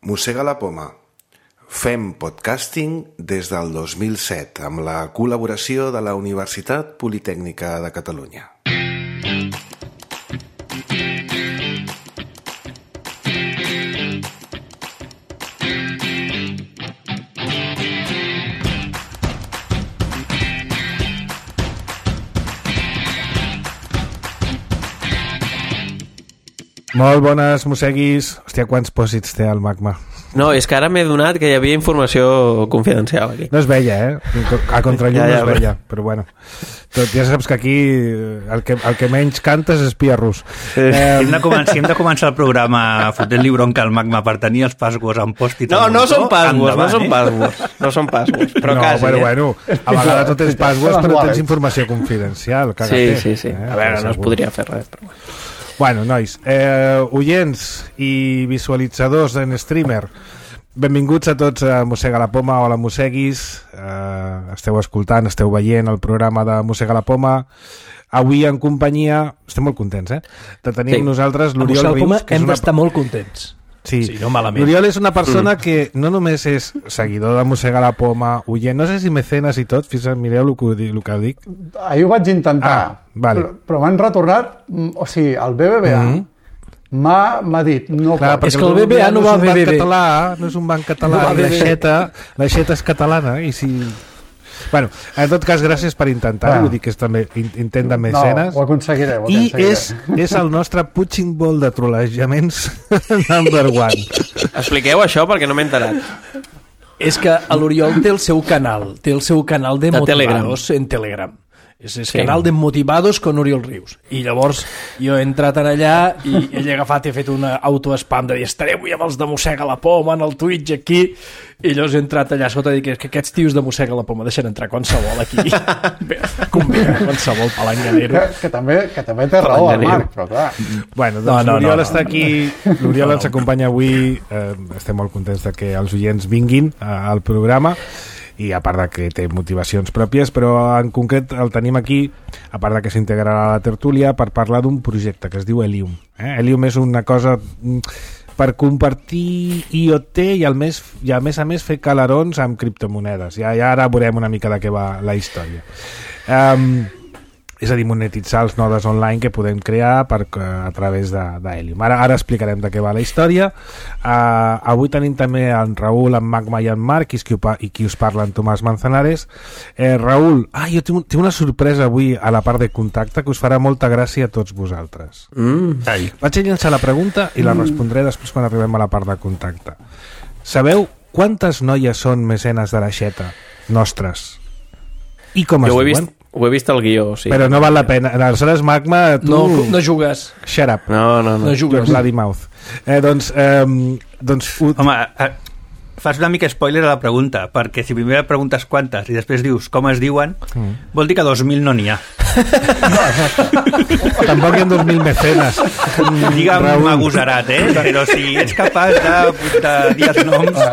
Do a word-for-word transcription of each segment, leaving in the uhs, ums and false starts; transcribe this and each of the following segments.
Mossega la poma. Fem podcasting des del dos mil set amb la col·laboració de la Universitat Politècnica de Catalunya. Molt bones, mosseguis. Hòstia, quants pòsits té el magma? No, és que ara m'he donat que hi havia informació confidencial aquí. No es veia, eh? A contrallum ja, ja, no es veia, però bueno. Tot, ja saps que aquí el que, el que menys canta és espia rus. Eh, hem, de començar, hem de començar el programa fotent-li bronca al magma per tenir els passwords en post-it. No, no són passwords, no són passwords. No són passwords, però no, quasi. Però eh? bueno, a vegades no tens passwords però tens informació confidencial. Sí, sí, sí. Eh? A veure, no es podria fer res, però bueno. Bueno, nois, eh, oients i visualitzadors en streamer, benvinguts a tots a Mossega la Poma o a la Mosseguis. Eh, esteu escoltant, esteu veient el programa de Mossega la Poma. Avui en companyia, estem molt contents, eh? De tenir sí. nosaltres l'Oriol Rius. Que hem una... d'estar molt contents. Sí, sí, no malament. L'Oriol és una persona mm. que no només és seguidor de Mossega la Poma, oient, no sé si mecenes i tot, fins mireu el que, el que dic. Ahir ho vaig intentar, ah, vale. però, però m'han retornat, o sigui, el B B V A mm. m'ha dit... No Clar, pot. és que el B B V A no, no va al B B V. Català, no és un banc català, no l'aixeta l'aixeta és catalana, i si... Bueno, en tot cas, gràcies per intentar, ah. vull dir que és també intent de mecenes. No, ho aconseguiré, ho I aconseguiré. és, és el nostre punching ball de trolejaments number one. Expliqueu això perquè no m'he enterat. És que l'Oriol té el seu canal, té el seu canal de, de motivados Telegram. en Telegram. És el sí. canal de Motivados con Oriol Rius. I llavors jo he entrat en allà i ell ha agafat i ha fet una autospam de dir estaré avui amb els de Mossega la Poma en el Twitch aquí, i llavors he entrat allà sota i dic que aquests tios de Mossega la Poma deixen entrar qualsevol aquí. Convida qualsevol palanganero. Que, que, també, que també té raó el Marc, però clar. Bueno, doncs no, no, l'Oriol no, no, està aquí, l'Oriol no, no. ens acompanya avui, eh, estem molt contents de que els oients vinguin al programa, i a part de que té motivacions pròpies, però en concret el tenim aquí, a part de que s'integrarà a la tertúlia, per parlar d'un projecte que es diu Helium. Eh? Helium és una cosa per compartir I O T i, al més, i a més a més fer calarons amb criptomonedes. Ja, ja ara veurem una mica de què va la història. Um, és a dir, monetitzar els nodes online que podem crear per, a través de, de Helium. Ara, ara explicarem de què va la història. Uh, avui tenim també en Raül, en Magma i en Marc, i qui, i qui us parla, en Tomàs Manzanares. Eh, Raül, ah, jo tinc, tinc una sorpresa avui a la part de contacte que us farà molta gràcia a tots vosaltres. Mm. Vaig a llançar la pregunta i la respondré després quan arribem a la part de contacte. Sabeu quantes noies són mecenes de l'aixeta nostres? I com es jo ho he diuen? Vist... Ho he vist al guió, sí. Però no val la pena. Aleshores, Magma, tu... No, no jugues. Shut up. No, no, no. No jugues. Bloody mouth. Eh, doncs... Eh, doncs u... Home, eh, fas una mica spoiler a la pregunta, perquè si primer preguntes quantes i després dius com es diuen, mm. vol dir que dos mil no n'hi ha. Tampoc hi ha dos mil mecenes. Digue'm agosarat, eh? Però si ets capaç de, de dir els noms...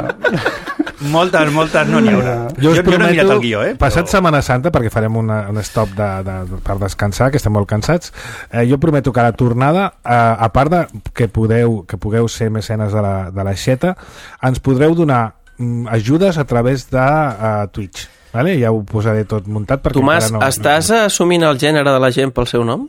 Moltes, moltes no n'hi haurà. Jo, jo, jo no he mirat el guió, eh? Passat però... Setmana Santa, perquè farem una, un stop de, de, per descansar, que estem molt cansats, eh, jo prometo que a la tornada, eh, a part de que, podeu, que pugueu ser mecenes de la, de l'aixeta, ens podreu donar mm, ajudes a través de uh, Twitch. Vale? Ja ho posaré tot muntat. Tomàs, no, estàs no... assumint el gènere de la gent pel seu nom?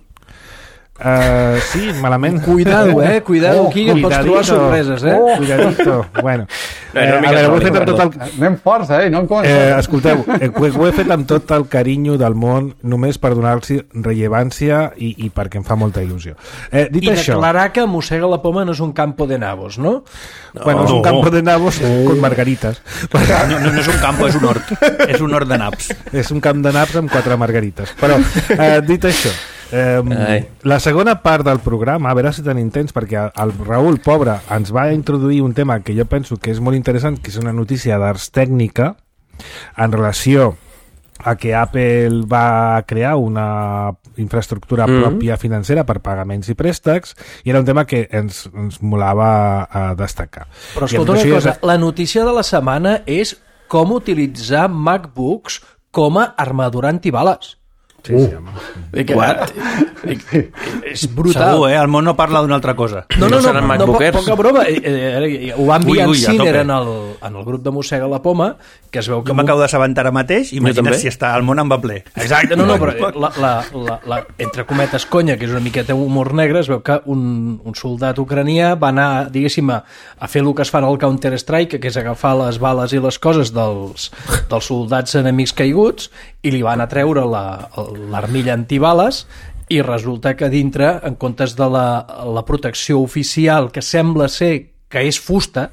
Uh, sí, malament. Cuidado, eh? Cuidado, oh, aquí que pots trobar sorpreses, eh? Oh, cuidadito. Bueno, eh, a veure, ho he fet amb tot el... Anem forts, eh? No em eh, escolteu, eh, ho he fet amb tot el carinyo del món, només per donar-los rellevància i, i perquè em fa molta il·lusió. Eh, dit I això... declarar que Mossega la Poma no és un campo de nabos, no? no bueno, és un campo de nabos oh. con margaritas. No, no, no és un campo, és un hort. És un hort de naps. És un camp de naps amb quatre margarites. Però, eh, dit això, Eh, la segona part del programa, a veure si tenim temps, perquè el Raül, pobre, ens va introduir un tema que jo penso que és molt interessant, que és una notícia d'Ars Tècnica en relació a que Apple va crear una infraestructura mm-hmm. pròpia financera per pagaments i préstecs, i era un tema que ens, ens molava a destacar. Però escolta una cosa, és... la notícia de la setmana és com utilitzar MacBooks com a armadura antibales. Sí, sí, home. I que, What? i, i, és brutal. Segur, eh? El món no parla d'una altra cosa. No, no, no, seran no, MacBookers. poca broma. Eh, eh, ho va enviar Ui, ui, a en Ciner tope. en el, en el grup de Mossega la Poma, que es veu que... Jo m'acabo d'assabentar ara mateix, imagina't també. si està el món en va ple. Exacte, no, no, però la, la, la, la, entre cometes conya, que és una miqueta humor negre, es veu que un, un soldat ucranià va anar, diguéssim, a, a fer el que es fa al Counter-Strike, que és agafar les bales i les coses dels, dels soldats enemics caiguts, i li van a treure la- l'armilla antibales, i resulta que dintre, en comptes de la, la protecció oficial, que sembla ser que és fusta,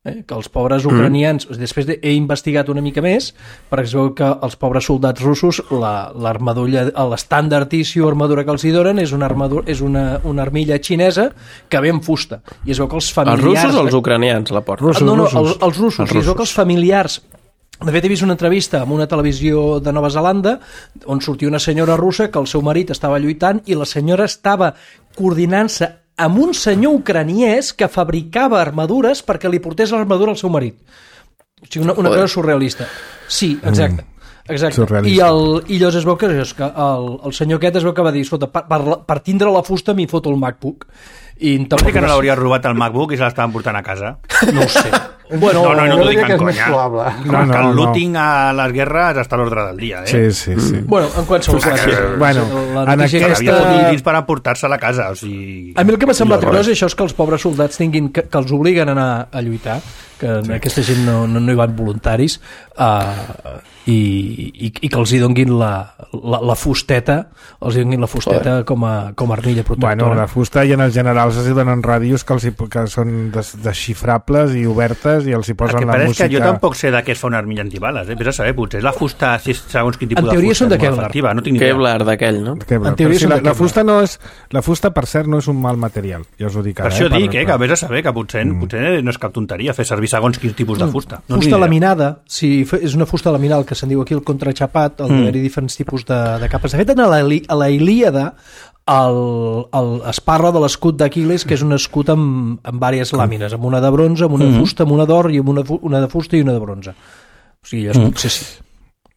eh, que els pobres ucranians, mm. després de, he investigat una mica més, perquè es veu que els pobres soldats russos, la- l'armadura, l'estàndard issue armadura que els hi donen és una, armadura, és una, una armilla xinesa que ve en fusta. I es veu que els Els familiars... russos o els ucranians la porten? Russos, no, no, russos. els, els russos. Els I es veu que els familiars... De fet, he vist una entrevista amb una televisió de Nova Zelanda on sortia una senyora russa que el seu marit estava lluitant i la senyora estava coordinant-se amb un senyor ucraniès que fabricava armadures perquè li portés l'armadura al seu marit. O sigui, una, una cosa surrealista. Sí, exacte. Exacte. Surrealista. I, el, i llavors es veu que, és que el, el senyor aquest es veu que va dir, escolta, per, per, per tindre la fusta m'hi foto el MacBook. I Vol dir que no l'hauria robat el MacBook i se l'estaven portant a casa? No ho sé. Bueno, No, no, no jo t'ho dic diria que en és més conya. probable. Com No, no, que el no. looting a les guerres està a l'ordre del dia, eh? Sí, sí, sí. Bueno, en qualsevol cas, Bueno, la en notícia aquesta- Havia aquesta... fotut dins per emportar-se a la casa, o sigui... A mi el que m'ha semblat curiós és això, és que els pobres soldats tinguin, que, que els obliguen a anar a lluitar, que sí. aquesta gent no, no, no hi van voluntaris, uh, i, i, i que els hi donguin la, la, la fusteta, els hi donguin la fusteta com a, com a armilla protectora. Bueno, la fusta i en els generals els hi donen ràdios que, els hi, que són des, desxifrables i obertes i els hi El posen que la passa és música... que jo tampoc sé de què es fa una armilla antibales, eh? Vés a saber, potser la fusta, si segons quin tipus En de teoria fusta són de és molt Kevlar. efectiva, no tinc ni idea. Kevlar d'aquell, no? Kevlar. En teoria Però sí, són la, de la Kevlar. fusta no és, la fusta, per cert, no és un mal material. Ja us ho dic Per ara. això eh? dic, eh, que vés a saber que potser, mm. potser no és cap tonteria fer servir segons quins tipus de fusta. No Fusta laminada, si fe- és una fusta laminal que se'n diu aquí el contraxapat, el Mm. d'haver-hi diferents tipus de, de capes. De fet, a la, Ili- a la Ilíada el, el, es parla de l'escut d'Aquiles, que és un escut amb, amb diverses làmines, amb una de bronze, amb una de Mm. fusta, amb una d'or i amb una, fu- una de fusta i una de bronze. O sigui, jo Mm. sí, sí.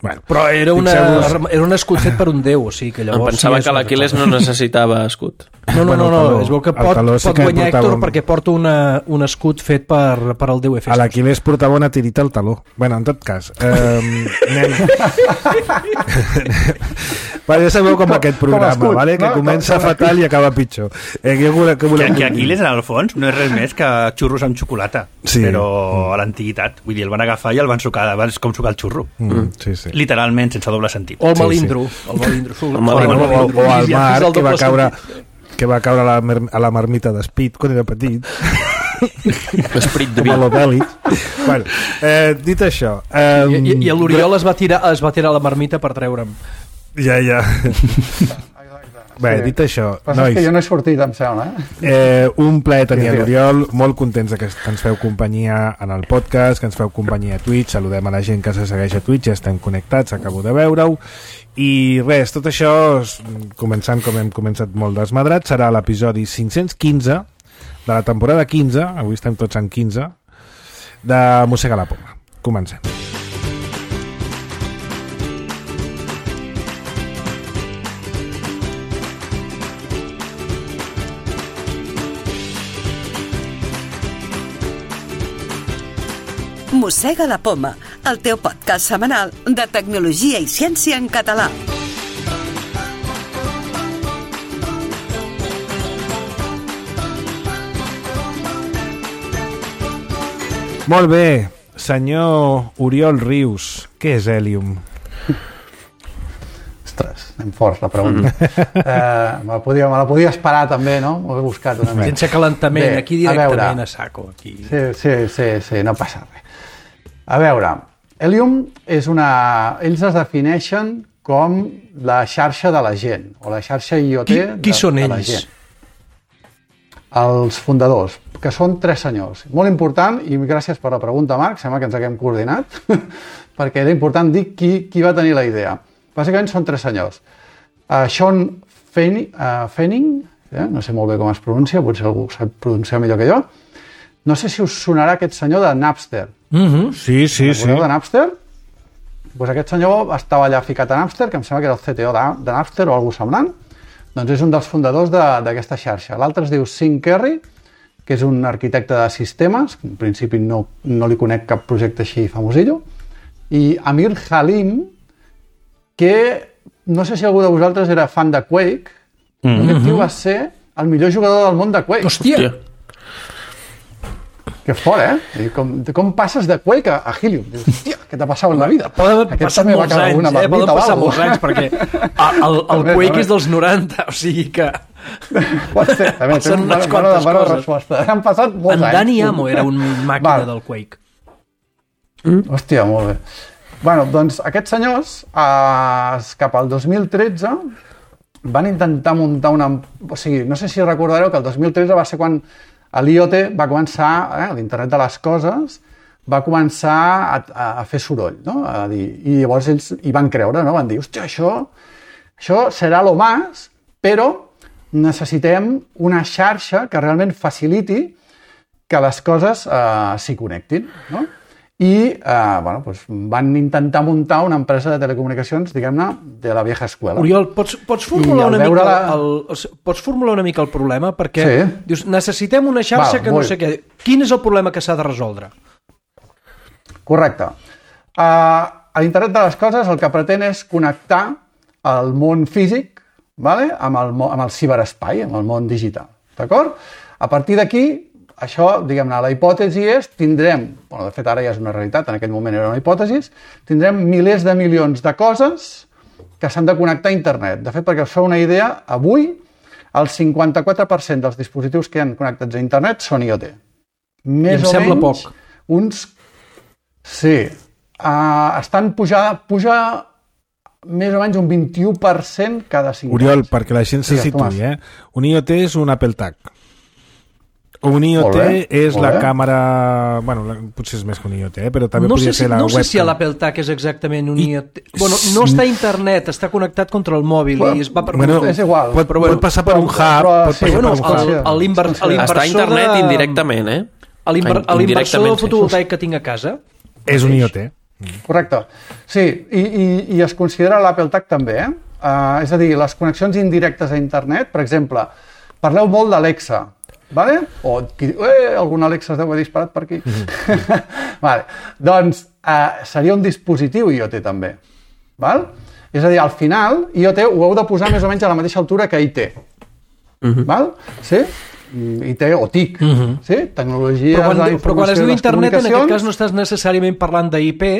Bueno, Però era, una, Fixeu-vos- era un escut fet per un déu, o sigui que Em llavors... pensava sí, és que una l'Aquiles cosa. no necessitava escut. No, no, Bueno, no, el no, taló- es veu que el pot, taló sí pot que guanyar portava Héctor un- perquè porta una, un escut fet per, per al déu a Hefestos. l'Aquiles portava una tirita al taló. Bueno, en tot cas... Eh, anem... Vale, ja sabeu com aquest programa, escut, vale? Que no? comença Com- com fatal i acaba pitjor. Eh, què voleu, què voleu Que, que dir? Aquiles, en el fons, no és res més que xurros amb xocolata. Sí. Però a l'antiguitat. Vull dir, el van agafar i el van sucar, és com sucar el xurro. Mm, sí, sí. Literalment, sense doble sentit. O el Sí, malindro. El malindro. El malindro. O, o, o al Ja mar, és el que va doble caure, sentit. que va caure a la, mer- a la marmita d'Espit quan era petit. L'esprit de Com a l'Obèlic. Bueno, eh, dit això... Eh, I, i, i l'Oriol es va tirar es va tirar a la marmita per treure'm. Ja, ja. Bé, Sí. dit això, Passa nois, que jo no he sortit, em sembla, eh? eh, un plaer tenir Sí, sí. l'Oriol, molt contents de que que ens feu companyia en el podcast, que ens feu companyia a Twitch, saludem a la gent que se segueix a Twitch, ja estem connectats, acabo de veure-ho, i res, tot això, s- començant com hem començat molt desmadrat, serà l'episodi cinc-cents quinze de la temporada quinze, avui estem tots en quinze, de Mossega la Poma. Comencem. Mossega la Poma, el teu podcast setmanal de tecnologia i ciència en català. Molt bé, senyor Oriol Rius, què és Helium? Ostres, anem forts, la pregunta. eh, me, la podia, me la podia esperar també, no? M'ho he buscat una mica. Sense calentament, Bé, aquí a directament veure. a, saco. Aquí. Sí, sí, sí, sí, no passa res. A veure, Helium és una... Ells es defineixen com la xarxa de la gent, o la xarxa I O T Qui, qui de, són de la ells? gent. Els fundadors, que són tres senyors. Molt important, i gràcies per la pregunta, Marc, sembla que ens haguem coordinat, perquè era important dir qui, qui va tenir la idea. Bàsicament són tres senyors. Uh, Sean Fanning, uh, Fanning eh? no sé molt bé com es pronuncia, potser algú sap pronunciar millor que jo. No sé si us sonarà aquest senyor de Napster. Mm -hmm. Sí, sí, sí. Recordeu de Napster? Doncs aquest senyor estava allà ficat a Napster, que em sembla que era el C T O de, de Napster o alguna semblant. Doncs és un dels fundadors d'aquesta xarxa. L'altre es diu Sean Kerry, que és un arquitecte de sistemes, en principi no, no li conec cap projecte així famosillo, i Amir Halim, que no sé si algú de vosaltres era fan de Quake, mm-hmm. aquest tio va ser el millor jugador del món de Quake. Hòstia! Hòstia. Que fort, eh? Com, com passes de Quake a, a Helium? Dius, hòstia, què t'ha passat en la vida? Poden passar molts anys, eh? Poden passar molts anys, perquè el, el, el Quake és dels noranta, o sigui que... Pot ser, també, són unes quantes coses. Resposta. Han passat molts en anys. En Dani Amo era un màquina Val. del Quake. Mm? Hòstia, molt bé. Bueno, doncs aquests senyors, eh, cap al dos mil tretze, van intentar muntar una... O sigui, no sé si recordareu que el dos mil tretze va ser quan l'I O T va començar, eh, l'internet de les coses, va començar a, a fer soroll, no? A dir, i llavors ells hi van creure, no? Van dir, hòstia, això, això serà lo más, però necessitem una xarxa que realment faciliti que les coses eh, s'hi connectin, no? I eh, bueno, doncs van intentar muntar una empresa de telecomunicacions, diguem-ne, de la vieja escuela. Oriol, pots, pots, formular una mica la... el, el, pots formular una mica el problema? Perquè sí. dius, necessitem una xarxa Val, que no vull. sé què. Quin és el problema que s'ha de resoldre? Correcte. Uh, L'internet de les coses el que pretén és connectar el món físic, vale? amb, el, amb el ciberespai, amb el món digital. D'acord? A partir d'aquí, això, diguem-ne, la hipòtesi és, tindrem, bueno, de fet ara ja és una realitat, en aquell moment era una hipòtesi, tindrem milers de milions de coses que s'han de connectar a internet. De fet, perquè us feu una idea, avui el cinquanta-quatre per cent dels dispositius que hi ha connectats a internet són I O T. Més I em o sembla menys, poc. Uns... Sí. Uh, estan pujant, puja més o menys un vint-i-u per cent cada cinc Oriol, anys. perquè la gent se situï, eh? Un I O T és un Apple Tag. Un I O T és la càmera... Bueno, potser és més que un I O T, eh? Però també no podria si, ser la no webcam. No sé si l'Apple Tag és exactament un I O T. Bueno, no està a internet, està connectat contra el mòbil bueno, i es va per... Bueno, és igual. Pot, però, bueno, pot passar per un hub. Però, pot sí, bueno, per l'inversor està a internet de... indirectament, eh? L'inversor del fotovoltaic que tinc a casa és un I O T. Correcte. Sí, i, i, i es considera l'Apple Tag també, eh? Uh, és a dir, les connexions indirectes a internet, per exemple, parleu molt d'Alexa, vale? O qui diu, eh, algun Alexa es deu haver disparat per aquí. Mm-hmm. Vale. Doncs uh, seria un dispositiu I O T també. Val? És a dir, al final, I O T ho heu de posar més o menys a la mateixa altura que I T. Mm-hmm. Val? Sí? I T o T I C, mm-hmm. sí? Tecnologia però quan, de la informació però quan es diu i les internet, en aquest cas no comunicacions... estàs necessàriament parlant d'I P,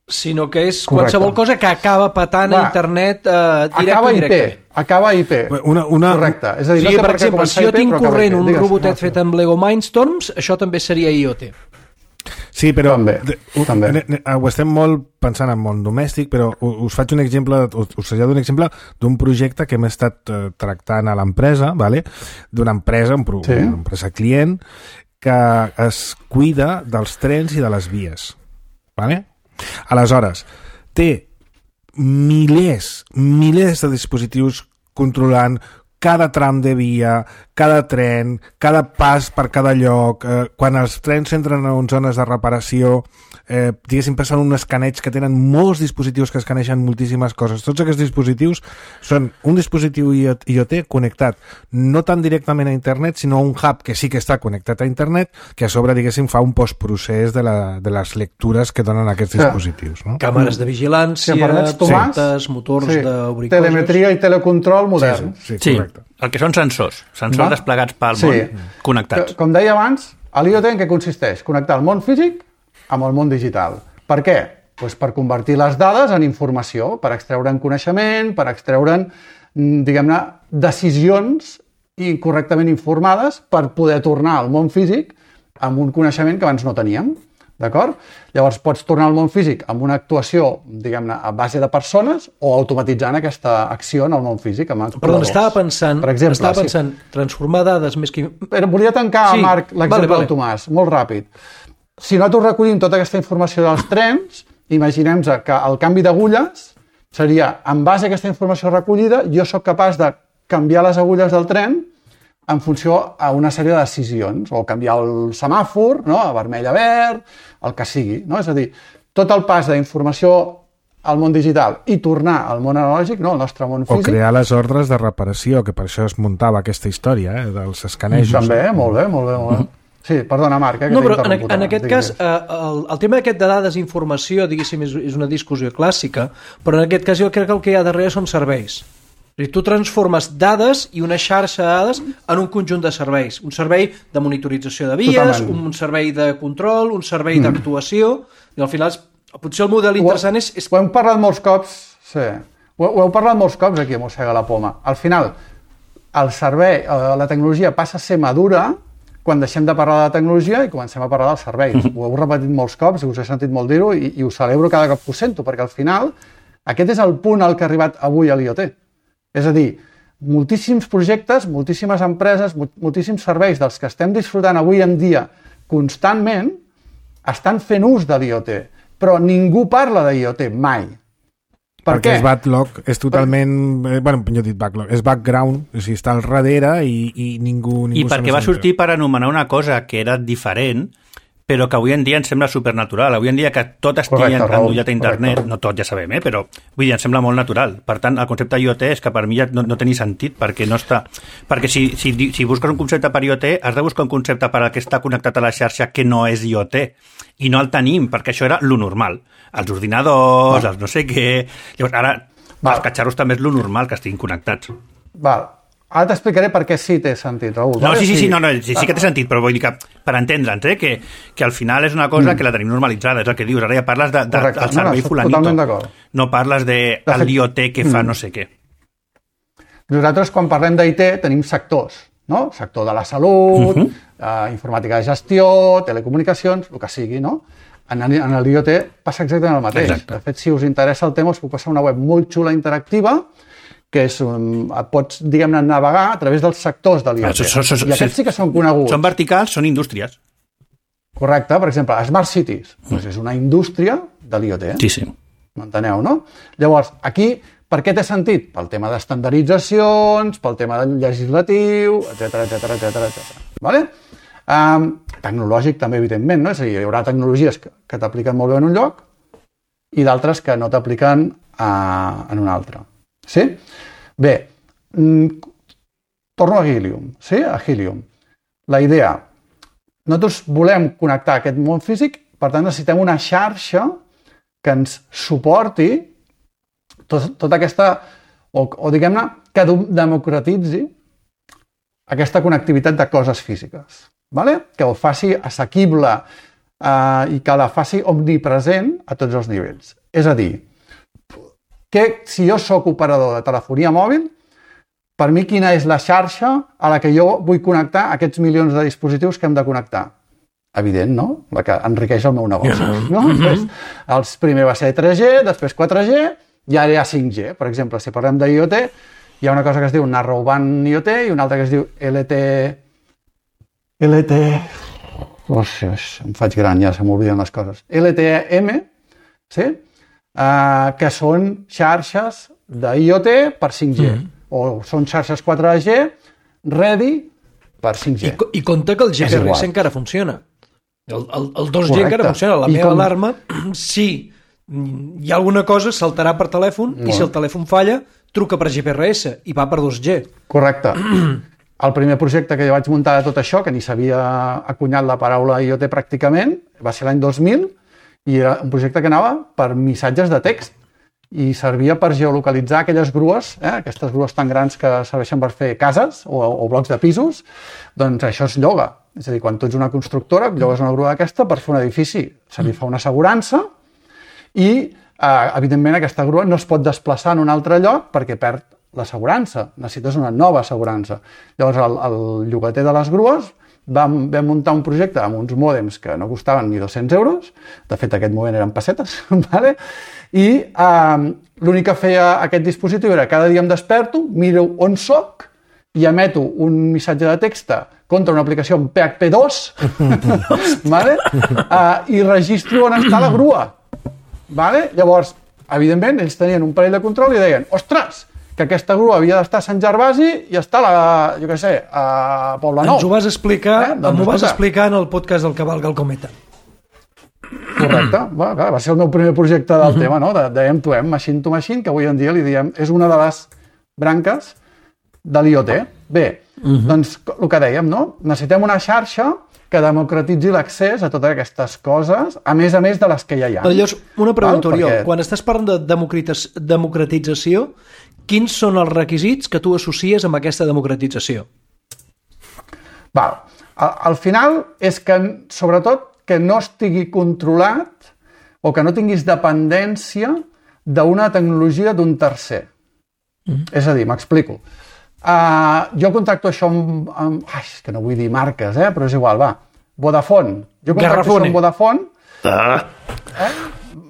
sinó que és Correcte. qualsevol cosa que acaba patant Va, a internet eh, directe acaba o indirecte. I P, acaba I P. Una, una... Correcte. És a dir, Sí, no per exemple, si jo tinc corrent un robotet fet amb Lego Mindstorms, això també seria I O T. Sí, però també, de, ho, també. Ne, ne, ho estem molt pensant en món domèstic, però us faig un exemple, us, us trasllado un exemple d'un projecte que hem estat eh, tractant a l'empresa, vale? D'una empresa, un pro, sí. una empresa client, que es cuida dels trens i de les vies. Vale? Aleshores, té milers, milers de dispositius controlant cada tram de via, cada tren, cada pas per cada lloc, eh, quan els trens entren en zones de reparació, eh, diguéssim, passen un escaneig que tenen molts dispositius que escanegen moltíssimes coses. Tots aquests dispositius són un dispositiu I O T connectat no tan directament a internet, sinó a un hub que sí que està connectat a internet, que a sobre, diguéssim, fa un postprocés de, la, de les lectures que donen aquests sí. dispositius. No? Càmeres de vigilància, si portes, motors sí. d'obrir coses... Telemetria i telecontrol modern. Sí, sí, sí, sí. El que són sensors, sensors Va? desplegats pel sí. món, connectats. Com deia abans, l'I O T en què consisteix? Connectar el món físic amb el món digital. Per què? Pues per convertir les dades en informació, per extreure'n coneixement, per extreure'n, diguem-ne, decisions correctament informades per poder tornar al món físic amb un coneixement que abans no teníem. D'acord? Llavors pots tornar al món físic amb una actuació, diguem-ne, a base de persones o automatitzant aquesta acció en el món físic amb actuadors. Perdó, estava pensant, per exemple, estava pensant sí. transformar dades més que... Però volia tancar, sí. Marc, l'exemple vale, vale. del Tomàs, molt ràpid. Si nosaltres recollim tota aquesta informació dels trens, imaginem-nos que el canvi d'agulles seria, en base a aquesta informació recollida, jo sóc capaç de canviar les agulles del tren en funció a una sèrie de decisions, o canviar el semàfor, no? A vermell a verd, el que sigui. No? És a dir, tot el pas d'informació al món digital i tornar al món analògic, no, al nostre món físic. O crear les ordres de reparació, que per això es muntava aquesta història, eh, dels escanejos. També, molt bé, molt bé, molt bé. Sí, perdona, Marc, eh, que no, t'he però en, interromput. en aquest cas, eh, el, el tema aquest de dades i informació, diguéssim, és, és una discussió clàssica, però en aquest cas jo crec que el que hi ha darrere són serveis. I tu transformes dades i una xarxa de dades en un conjunt de serveis. Un servei de monitorització de vies, Totalment. un servei de control, un servei mm. d'actuació, i al final potser el model interessant és... és... Ho hem parlat molts cops, sí. Ho, ho heu parlat molts cops aquí a Mossega la Poma. Al final, el servei, la tecnologia passa a ser madura quan deixem de parlar de la tecnologia i comencem a parlar dels serveis. Mm-hmm. Ho heu repetit molts cops, us he sentit molt dir-ho i, i ho celebro cada cop que ho sento, perquè al final aquest és el punt al que ha arribat avui a l'I O T. És a dir, moltíssims projectes, moltíssimes empreses, moltíssims serveis dels que estem disfrutant avui en dia constantment estan fent ús de l'I O T, però ningú parla de l'I O T mai. Per perquè què? és backlog, és totalment... Per... Bueno, jo he dit backlog, és background, o sigui, està al darrere i, i ningú... ningú I perquè va sortir per anomenar una cosa que era diferent, però que avui en dia ens sembla supernatural. Avui en dia que tot estigui endollat a internet, correcte. No tot ja sabem, eh? Però vull dir, ens sembla molt natural. Per tant, el concepte I O T és que per mi ja no, no té ni sentit, perquè no està... Perquè si, si, si busques un concepte per I O T, has de buscar un concepte per al que està connectat a la xarxa que no és I O T. I no el tenim, perquè això era lo normal. Els ordinadors, Val. els no sé què... Llavors, ara, Val. els catxarros també és lo normal que estiguin connectats. Val. Ara t'explicaré per què sí té sentit, Raül. No, sí, sí, sí, no, no, sí, sí que té sentit, però vull dir que, per entendre'ns, eh, que, que al final és una cosa mm. que la tenim normalitzada, és el que dius, ara ja parles de, de, Correcte. del servei no, no, fulanito, no parles de, de fet, l'I O T que fa mm. no sé què. Nosaltres, quan parlem d'I T, tenim sectors, no? Sector de la salut, uh-huh. eh, informàtica de gestió, telecomunicacions, el que sigui, no? En, en l'I O T passa exactament el mateix. Exacte. De fet, si us interessa el tema, us puc passar una web molt xula interactiva que és, um, pots, diguem-ne, navegar a través dels sectors de l'I O T. So, so, so, I aquests sí que són coneguts. Són verticals, són indústries. Correcte. Per exemple, Smart Cities mm. doncs és una indústria de l'I O T. Sí, sí. M'enteneu, no? Llavors, aquí, per què té sentit? Pel tema d'estandarditzacions, pel tema del legislatiu, etcètera, etcètera, etcètera, etcètera. Vale? Um, tecnològic també, evidentment, no? És a dir, hi haurà tecnologies que, que t'apliquen molt bé en un lloc i d'altres que no t'apliquen uh, en un altre. Sí? Bé, torno a Helium, sí? A Helium. La idea, nosaltres volem connectar aquest món físic, per tant necessitem una xarxa que ens suporti tot, tota aquesta, o, o diguem-ne, que democratitzi aquesta connectivitat de coses físiques, vale? Que ho faci assequible eh, i que la faci omnipresent a tots els nivells. És a dir, que si jo sóc operador de telefonia mòbil, per mi quina és la xarxa a la que jo vull connectar aquests milions de dispositius que hem de connectar? Evident, no? La que enriqueix el meu negoci. No? Després, el primer va ser tres G, després quatre G, i ara hi ha cinc G. Per exemple, si parlem d'I O T, hi ha una cosa que es diu Narrowband I O T i una altra que es diu L T... L T... Oh, sí, em faig gran, ja se m'obliden les coses. L T E M, sí? Uh, que són xarxes d'I O T per cinc G, mm. o són xarxes quatre G ready per cinc G. I, i compte que el G P R S encara funciona. El, el, el dos G Correcte. Encara funciona. La I meva com... alarma, si hi ha alguna cosa, saltarà per telèfon, no. I si el telèfon falla, truca per G P R S i va per dos G. Correcte. El primer projecte que jo vaig muntar de tot això, que ni s'havia acunyat la paraula I O T pràcticament, va ser l'any dos mil, i era un projecte que anava per missatges de text i servia per geolocalitzar aquelles grues, eh, aquestes grues tan grans que serveixen per fer cases o, o blocs de pisos, doncs això es lloga. És a dir, quan tu ets una constructora, llogues una grua d'aquesta per fer un edifici, se li fa una assegurança i, eh, evidentment, aquesta grua no es pot desplaçar en un altre lloc perquè perd l'assegurança. Necessites una nova assegurança. Llavors, el, el llogater de les grues Vam, vam muntar un projecte amb uns mòdems que no costaven ni dos-cents euros, de fet aquest moment eren pessetes, vale? I eh, l'únic que feia aquest dispositiu era cada dia em desperto, miro on soc i emeto un missatge de text contra una aplicació en P H P dos vale? eh, i registro on està la grua. Vale? Llavors, evidentment, ells tenien un parell de control i deien, ostres, que aquesta grua havia d'estar a Sant Gervasi i està a la, jo què sé, a Poblenou. Ens ho vas explicar, eh? Doncs, m'ho vas explicar en el podcast del Cavalga el Cometa. correcte. Va, clar, va ser el meu primer projecte del uh-huh. tema, no? de, de M to M, Machine to Machine, que avui en dia li diem, és una de les branques de l'I O T. Bé, uh-huh. doncs el que dèiem, no? Necessitem una xarxa que democratitzi l'accés a totes aquestes coses, a més a més de les que ja hi ha. Llavors, una pregunta, Oriol. Perquè... Quan estàs parlant de democratització, quins són els requisits que tu associes amb aquesta democratització? Val. Al, al final és que, sobretot, que no estigui controlat o que no tinguis dependència d'una tecnologia d'un tercer. Mm. És a dir, m'explico. Uh, jo contacto això amb, amb... Ai, és que no vull dir marques, eh? Però és igual, va. Vodafone. Jo contacto Garrafone. Això amb Vodafone. Ah. Eh?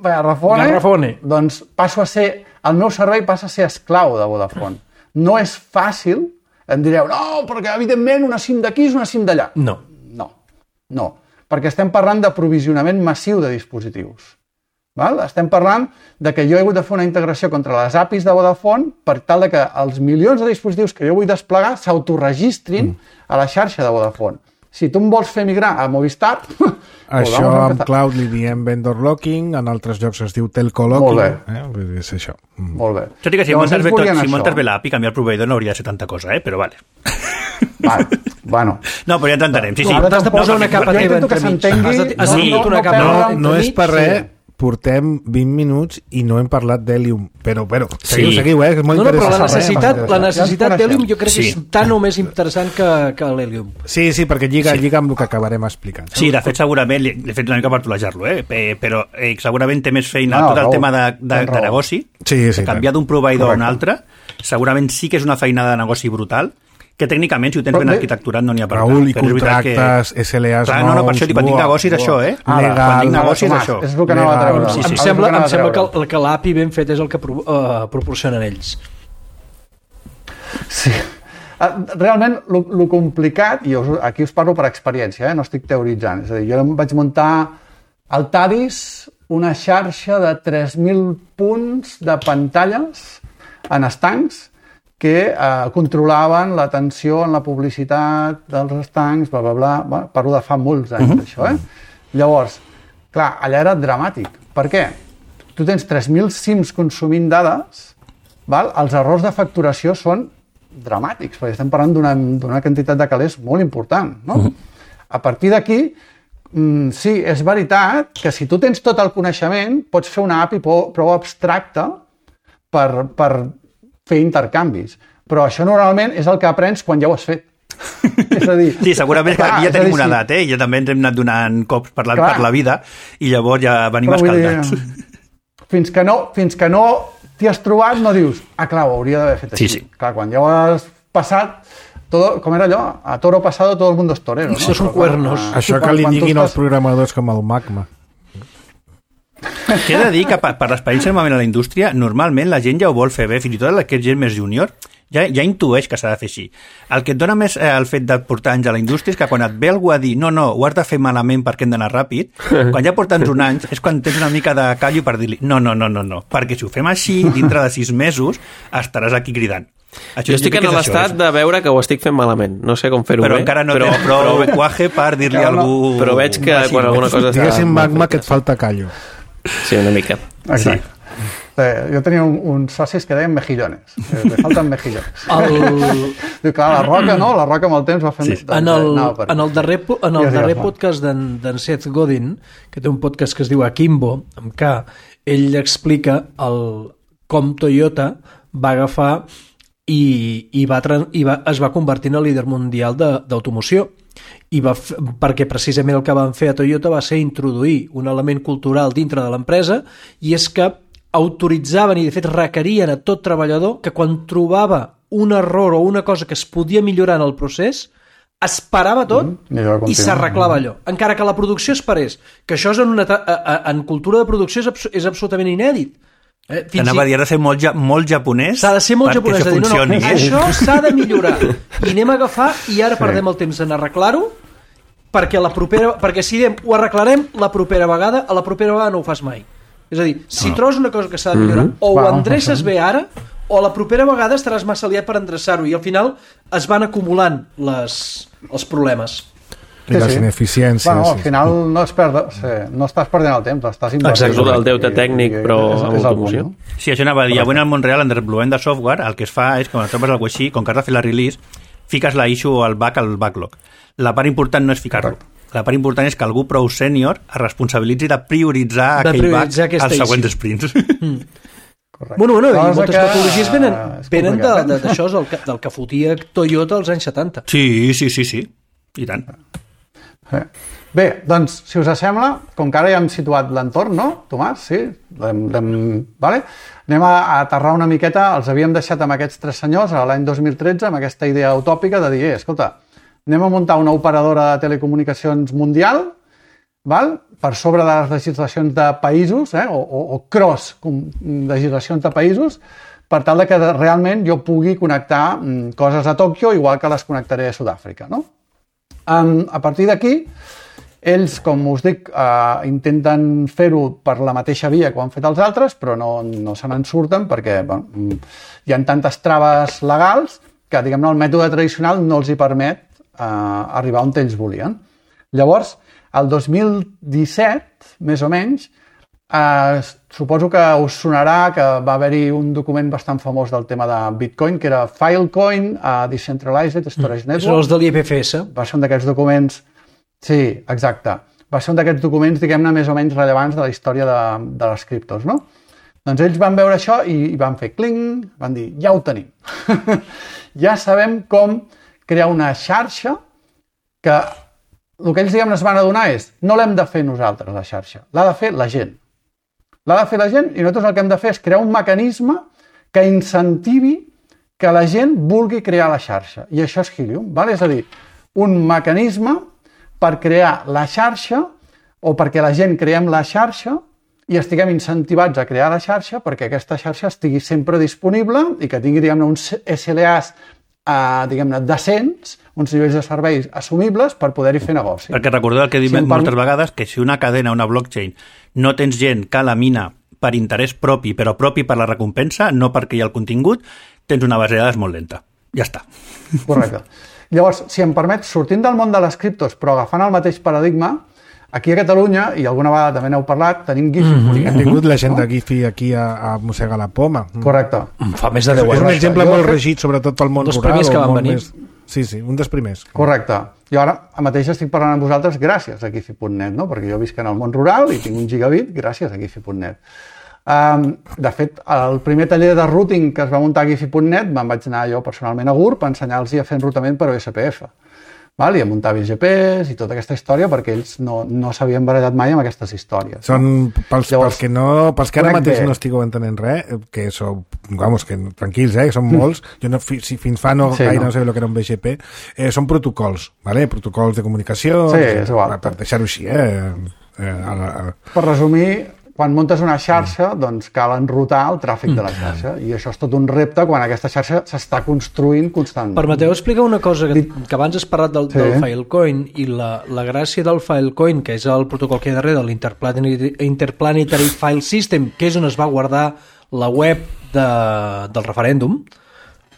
Garrafone. Garrafone. Doncs passo a ser... El meu servei passa a ser esclau de Vodafone. No és fàcil. Em direu, no, perquè evidentment una SIM d'aquí és una SIM d'allà. No. No. No. Perquè estem parlant d'aprovisionament massiu de dispositius. Val? Estem parlant de que jo he hagut de fer una integració contra les A P Is de Vodafone per tal de que els milions de dispositius que jo vull desplegar s'autoregistrin mm. a la xarxa de Vodafone. Si tu em vols fer migrar a Movistar... Això amb cloud li diem vendor locking, en altres llocs es diu telco locking. Molt bé. Eh? És això. Mm. Molt bé. Tot i que si muntes bé, tot, si muntes bé l'A P I, canviar el proveïdor no hauria de ser tanta cosa, eh? Però vale. Vale, bueno. No, però ja t'entenem. Sí, sí. No, t'has de posar no, una capa teva entremig. Has de no, una capa no, no és per res... Sí. Portem vint minuts i no hem parlat d'Helium, però, però, seguiu, sí. seguiu, eh? És molt no, no, però la interessant. necessitat, la necessitat d'Helium jo crec sí. que és tan o més interessant que, que l'Helium. Sí, sí, perquè lliga, sí. lliga amb el que acabarem explicant. Sí, de fet, segurament, l'he fet una mica per tolejar-lo, eh? però eh, segurament té més feina no, tot el raó, tema de, de, de negoci, sí, sí, de canviar d'un proveïdor correcte. a un altre, segurament sí que és una feina de negoci brutal, que tècnicament, si ho tens però ben bé, arquitecturat, no n'hi ha per Raül, i però contractes, que... S L As Clar, no, no, per això, quan dic negoci és això, eh? Ara, Quan dic negoci és Tomàs, això. és el que anava a treure. Sí, sí. Em sembla, em sembla que, que l'A P I ben fet és el que pro, uh, proporcionen ells. Sí. Realment, el complicat, i us, aquí us parlo per experiència, eh? No estic teoritzant, és a dir, jo vaig muntar al Tadis una xarxa de tres mil punts de pantalles en estancs que eh, controlaven l'atenció en la publicitat dels estancs, bla, bla, bla. Bueno, parlo de fa molts anys, uh-huh. això, eh? Llavors, clar, allà era dramàtic. Per què? Tu tens tres mil SIMs consumint dades, val? Els errors de facturació són dramàtics, perquè estem parlant d'una quantitat de calés molt important, no? Uh-huh. A partir d'aquí, mm, sí, és veritat que si tu tens tot el coneixement, pots fer una A P I prou, prou abstracta per... per fer intercanvis. Però això normalment és el que aprens quan ja ho has fet. És a dir... Sí, segurament que aquí ja tenim una edat, eh? I ja també ens hem anat donant cops per la, per la vida i llavors ja venim però escaldats. Dir, fins que no, fins que no t'hi has trobat no dius, ah, clar, ho hauria d'haver fet així. Sí, sí. Clar, quan ja ho has passat, todo, com era allò? A toro pasado todo el mundo es torero. No? Això són cuernos. Ah, això que li diguin als programadors com el Magma. Que he de dir que per, per l'experiència normalment a la indústria, normalment la gent ja ho vol fer bé, fins i tot la que és gent més júnior, ja, ja intueix que s'ha de fer així. El que et dona més eh, el fet de portar anys a la indústria és que quan et ve algú a dir no, no, ho has de fer malament perquè hem d'anar ràpid, quan ja porten uns anys és quan tens una mica de callo per dir-li no, no, no, no, no, perquè si ho fem així, dintre de sis mesos estaràs aquí cridant. Això jo estic en l'estat de veure que ho estic fent malament. No sé com fer-ho bé. Però encara no però, tens prou cuaje per dir-li a algú... Però veig que quan alguna cosa està... Diguéssim, Magma, que et falta callo. Sí, una mica. Exacte. Sí. Eh, jo tenia un, uns socis que deien mejillones. Eh, me falten mejillones. El... Diu, clar, la Roca, no? La Roca amb el temps va fer... Sí. En el, no, en el darrer, en el darrer podcast d'en Seth Godin, que té un podcast que es diu Akimbo, amb K, ell explica el, com Toyota va agafar i, i, va, i va, es va convertir en el líder mundial d'automoció. I va f... perquè precisament el que van fer a Toyota va ser introduir un element cultural dintre de l'empresa i és que autoritzaven i de fet requerien a tot treballador que quan trobava un error o una cosa que es podia millorar en el procés es parava tot mm, i s'arreglava allò, encara que la producció es parés, que això és en, una, en cultura de producció és, abs és absolutament inèdit. Eh, T'anava a dir, ha de ser molt, ja, molt japonès s'ha de ser molt japonès, això dir, no, funcioni. No, això s'ha de millorar i anem a agafar i ara sí. perdem el temps en arreglar-ho perquè, la propera, perquè si diem ho arreglarem la propera vegada, a la propera vegada no ho fas mai. És a dir, si no. trobes una cosa que s'ha de millorar mm -hmm. o ho endreces bé ara o la propera vegada estaràs massa liat per endreçar-ho i al final es van acumulant les, els problemes. I sí, les sí. ineficiències. Bueno, al final sí. no, es perd, sí, no estàs perdent el temps, estàs invertint. Exacte, el deute tècnic, i, i, però és, amb automoció. No? Sí, això anava a dir. Avui en el món real, en desenvolupament de software, el que es fa és que quan trobes alguna cosa així, com que has de fer la release, fiques la issue o el bug al backlog. La part important no és ficar-lo. La part important és que algú prou sènior es responsabilitzi de prioritzar de aquell prioritzar bug als següents sprints. Mm. Correcte. Bueno, bueno, i moltes que... metodologies venen, venen d'això, del, del que fotia Toyota als anys setanta. Sí, sí, sí, sí. I tant. Bé, doncs, si us sembla, com que ara ja hem situat l'entorn, no, Tomàs? Sí? L'hem, l'hem... Vale? Anem a aterrar una miqueta, els havíem deixat amb aquests tres senyors a l'any dos mil tretze amb aquesta idea utòpica de dir, eh, escolta, anem a muntar una operadora de telecomunicacions mundial, val? Per sobre de les legislacions de països, eh? o, o, o cross legislacions de països, per tal de que realment jo pugui connectar mm, coses a Tòquio igual que les connectaré a Sud-àfrica, no? Um, a partir d'aquí, ells, com us dic, uh, intenten fer-ho per la mateixa via que ho han fet els altres, però no, no se n'en surten perquè bueno, hi ha tantes traves legals que, diguem-ne, el mètode tradicional no els hi permet uh, arribar on ells volien. Llavors, el dos mil disset, més o menys, eh, suposo que us sonarà que va haver-hi un document bastant famós del tema de Bitcoin, que era Filecoin, uh, Decentralized Storage Network. Són els de l'I P F S. Va ser un d'aquests documents... Sí, exacte. Va ser un d'aquests documents, diguem-ne, més o menys rellevants de la història de, de les criptos, no? Doncs ells van veure això i, i van fer cling, van dir, ja ho tenim. Ja sabem com crear una xarxa que el que ells, diguem, es van adonar és no l'hem de fer nosaltres, la xarxa, l'ha de fer la gent. L'ha de fer la gent i nosaltres el que hem de fer és crear un mecanisme que incentivi que la gent vulgui crear la xarxa. I això és Helium, ¿vale? És a dir, un mecanisme per crear la xarxa o perquè la gent creem la xarxa i estiguem incentivats a crear la xarxa perquè aquesta xarxa estigui sempre disponible i que tingui, diguem-ne, uns S L As eh, diguem-ne, decents, uns nivells de serveis assumibles per poder-hi fer negoci. Perquè recordeu el que he dit si moltes per... vegades, que si una cadena, una blockchain, no tens gent que la mina per interès propi, però propi per la recompensa, no perquè hi ha el contingut, tens una base de dades molt lenta. Ja està. Correcte. Llavors, si em permet, sortint del món de les criptos, però agafant el mateix paradigma, aquí a Catalunya, i alguna vegada també n'heu parlat, tenim Giphy. Mm -hmm. Hem tingut la gent no? de Giphy aquí a, a mossegar la poma. Correcte. Fa més de deu anys. És un exemple molt regit, sobretot pel món rural. Dels primers que van venir. Més... Sí, sí, un dels primers. Correcte. Jo ara mateix estic parlant amb vosaltres gràcies a Giphy punt net, no? Perquè jo visc en el món rural i tinc un gigabit gràcies a Giphy punt net. Um, de fet, el primer taller de routing que es va muntar a Giphy punt net me'n vaig anar jo personalment a GURB a ensenyar-los a fer enrutament per O S P F. Val? I a muntar B G Ps i tota aquesta història perquè ells no, no s'havien barallat mai amb aquestes històries. Són, pels, Llavors, pels que, no, pels que ara mateix bé. no estigueu entenent res, que sou, vamos, que tranquils, eh, són molts, jo no, si fins fa no, sí, gaire no. no sé el que era un B G P, eh, són protocols, vale? Protocols de comunicació, sí, és igual. Per deixar-ho així, eh? eh a la, a... Per resumir, quan muntes una xarxa, doncs cal enrutar el tràfic de la xarxa. I això és tot un repte quan aquesta xarxa s'està construint constantment. Permeteu explicar una cosa, que, que abans has parlat del, sí. del Filecoin, i la, la gràcia del Filecoin, que és el protocol que hi ha darrere de l'Interplanetary Interplanetary File System, que és on es va guardar la web de, del referèndum,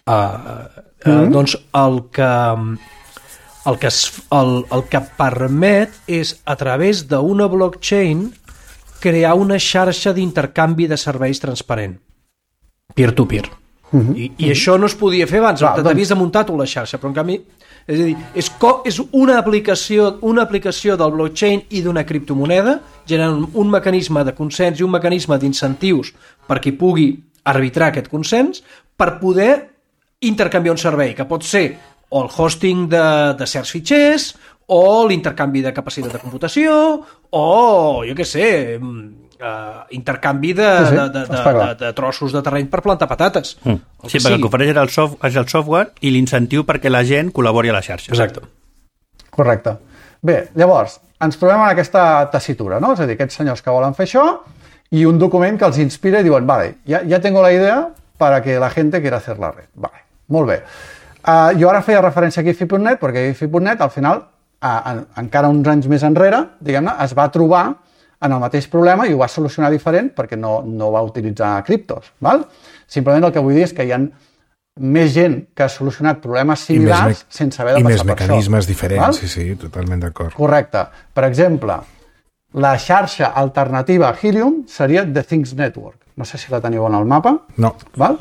uh, uh, mm. doncs el que... El que, es, el, el que permet és, a través d'una blockchain, crear una xarxa d'intercanvi de serveis transparent, peer-to-peer. Uh -huh. I, I uh -huh. això no es podia fer abans, ah, t'havies doncs... de muntar tu la xarxa, però en canvi, és a dir, és, co és una aplicació, una aplicació del blockchain i d'una criptomoneda, generant un mecanisme de consens i un mecanisme d'incentius per qui pugui arbitrar aquest consens, per poder intercanviar un servei, que pot ser o el hosting de, de certs fitxers, o l'intercanvi de capacitat de computació, o, jo què sé, uh, intercanvi de, sí, sí, de, de, de, de, de trossos de terreny per plantar patates. Mm. Sí, perquè el que ofereix és el, soft, és el software i l'incentiu perquè la gent col·labori a la xarxa. Exacte. Correcte. Bé, llavors, ens trobem en aquesta tessitura, no? És a dir, aquests senyors que volen fer això i un document que els inspira i diuen, vale, ja, ja tengo la idea para que la gente quiera hacer la red. Vale, molt bé. Uh, jo ara feia referència a Giphy punt net perquè Giphy punt net al final Uh, en, encara uns anys més enrere, diguem-ne, es va trobar en el mateix problema i ho va solucionar diferent perquè no, no va utilitzar criptos. Val? Simplement el que vull dir és que hi ha més gent que ha solucionat problemes similars sense haver de passar per això. I més mecanismes diferents, sí, sí, totalment d'acord. Correcte. Per exemple, la xarxa alternativa a Helium seria The Things Network. No sé si la teniu en el mapa. No. Val?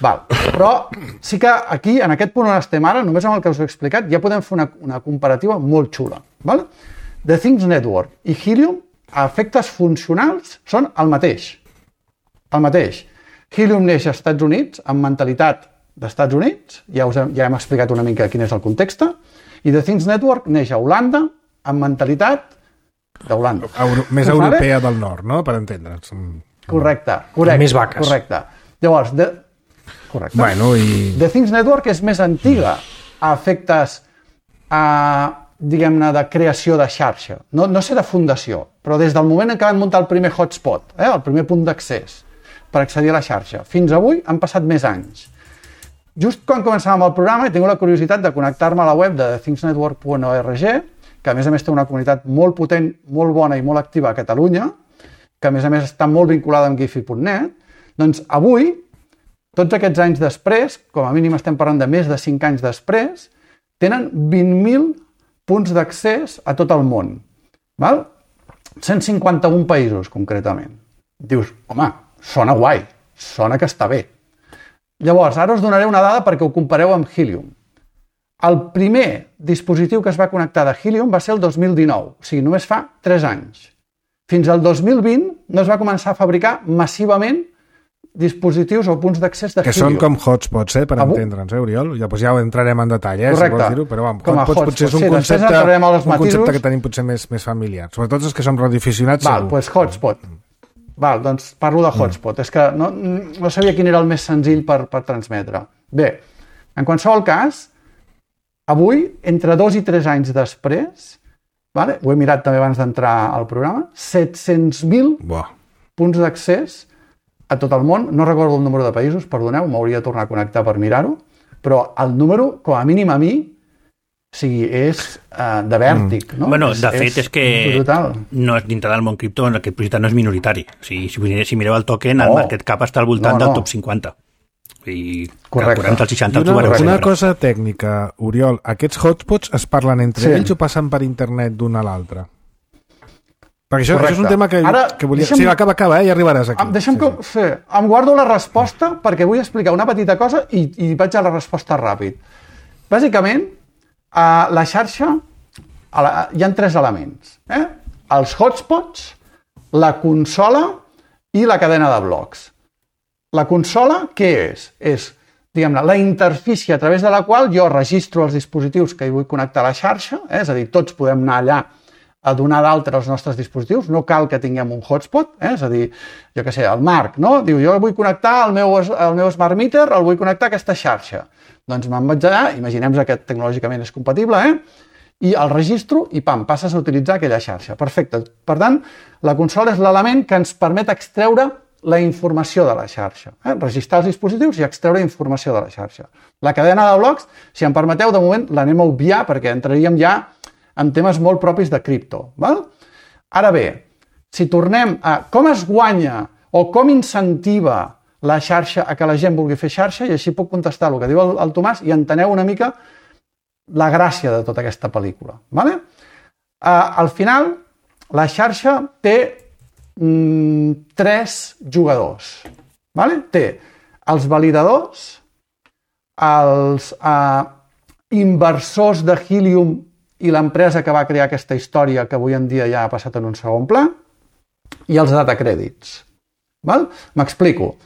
Val. Però sí que aquí, en aquest punt on estem ara, només amb el que us he explicat, ja podem fer una, una comparativa molt xula. Val? The Things Network i Helium, a efectes funcionals, són el mateix. El mateix. Helium neix als Estats Units amb mentalitat d'Estats Units, ja, us hem, ja hem explicat una mica quin és el context, i The Things Network neix a Holanda amb mentalitat d'Holanda. Euro, més europea vale? Del nord, no? Per entendre'ns. Correcte, correcte. Més vaques. Correcte. Llavors, the, correcte. Bueno, i... The Things Network és més antiga a efectes, a, diguem-ne, de creació de xarxa. No, no sé de fundació, però des del moment en què van muntar el primer hotspot, eh, el primer punt d'accés per accedir a la xarxa, fins avui han passat més anys. Just quan començàvem el programa he tingut la curiositat de connectar-me a la web de the things network punt org, que a més a més té una comunitat molt potent, molt bona i molt activa a Catalunya, que a més a més està molt vinculada amb gifi punt net, doncs avui, tots aquests anys després, com a mínim estem parlant de més de cinc anys després, tenen vint mil punts d'accés a tot el món. Val? cent cinquanta-un països, concretament. Dius, home, sona guai, sona que està bé. Llavors, ara us donaré una dada perquè ho compareu amb Helium. El primer dispositiu que es va connectar de Helium va ser el dos mil dinou, o sigui, només fa tres anys. Fins al dos mil vint no es va començar a fabricar massivament dispositius o punts d'accés de que Helium. Que són com hotspots, eh, per Avui... entendre'ns, eh, Oriol? Ja, doncs ja ho entrarem en detall, eh, correcte. Si vols dir-ho, però vam, com hotspots hotspot. potser és un, sí, concepte, un matisos... concepte que tenim potser més, més familiar. Sobretot els que som radioaficionats. Val, doncs pues hotspot. Val, doncs parlo de hotspot. Mm. És que no, no sabia quin era el més senzill per, per transmetre. Bé, en qualsevol cas, avui, entre dos i tres anys després, vale? Ho he mirat també abans d'entrar al programa, set-cents mil punts d'accés a tot el món. No recordo el número de països, perdoneu, m'hauria de tornar a connectar per mirar-ho, però el número, com a mínim a mi, o sigui, és uh, de vèrtic, no? Bueno, de fet, és, és que brutal. No és dintre del món cripto, en aquest projecte no és minoritari. O sigui, si, si mireu el token, el market cap està al voltant no, no. del top cinquanta. I correcte. El seixanta, una, una cosa tècnica, Oriol, aquests hotspots es parlen entre sí. ells o passen per internet d'un a l'altre? Perquè això, això és un tema que, Ara, que volia... Deixa'm... Sí, acaba, acaba, eh? Ja arribaràs aquí. Deixa'm sí, que... sí. Sí, em guardo la resposta perquè vull explicar una petita cosa i, i vaig a la resposta ràpid. Bàsicament, a la xarxa a la, hi ha tres elements. Eh? Els hotspots, la consola i la cadena de blocs. La consola, què és? És, diguem-ne, la interfície a través de la qual jo registro els dispositius que hi vull connectar a la xarxa, eh? És a dir, tots podem anar allà a donar d'altre els nostres dispositius, no cal que tinguem un hotspot, eh? És a dir, jo què sé, el Marc, no? Diu, jo vull connectar el meu, el meu smart meter, el vull connectar a aquesta xarxa. Doncs me'n vaig allà, imaginem que tecnològicament és compatible, eh? I el registro i pam, passes a utilitzar aquella xarxa. Perfecte. Per tant, la consola és l'element que ens permet extreure la informació de la xarxa. Eh? Registrar els dispositius i extreure informació de la xarxa. La cadena de blocs, si em permeteu, de moment l'anem a obviar perquè entraríem ja en temes molt propis de cripto. Val? Ara bé, si tornem a com es guanya o com incentiva la xarxa a que la gent vulgui fer xarxa, i així puc contestar el que diu el, el Tomàs i enteneu una mica la gràcia de tota aquesta pel·lícula. Vale? Uh, al final, la xarxa té mm, tres jugadors. Vale? Té els validadors, els uh, inversors de Helium i l'empresa que va crear aquesta història que avui en dia ja ha passat en un segon pla, i els data crèdits. Val? M'explico.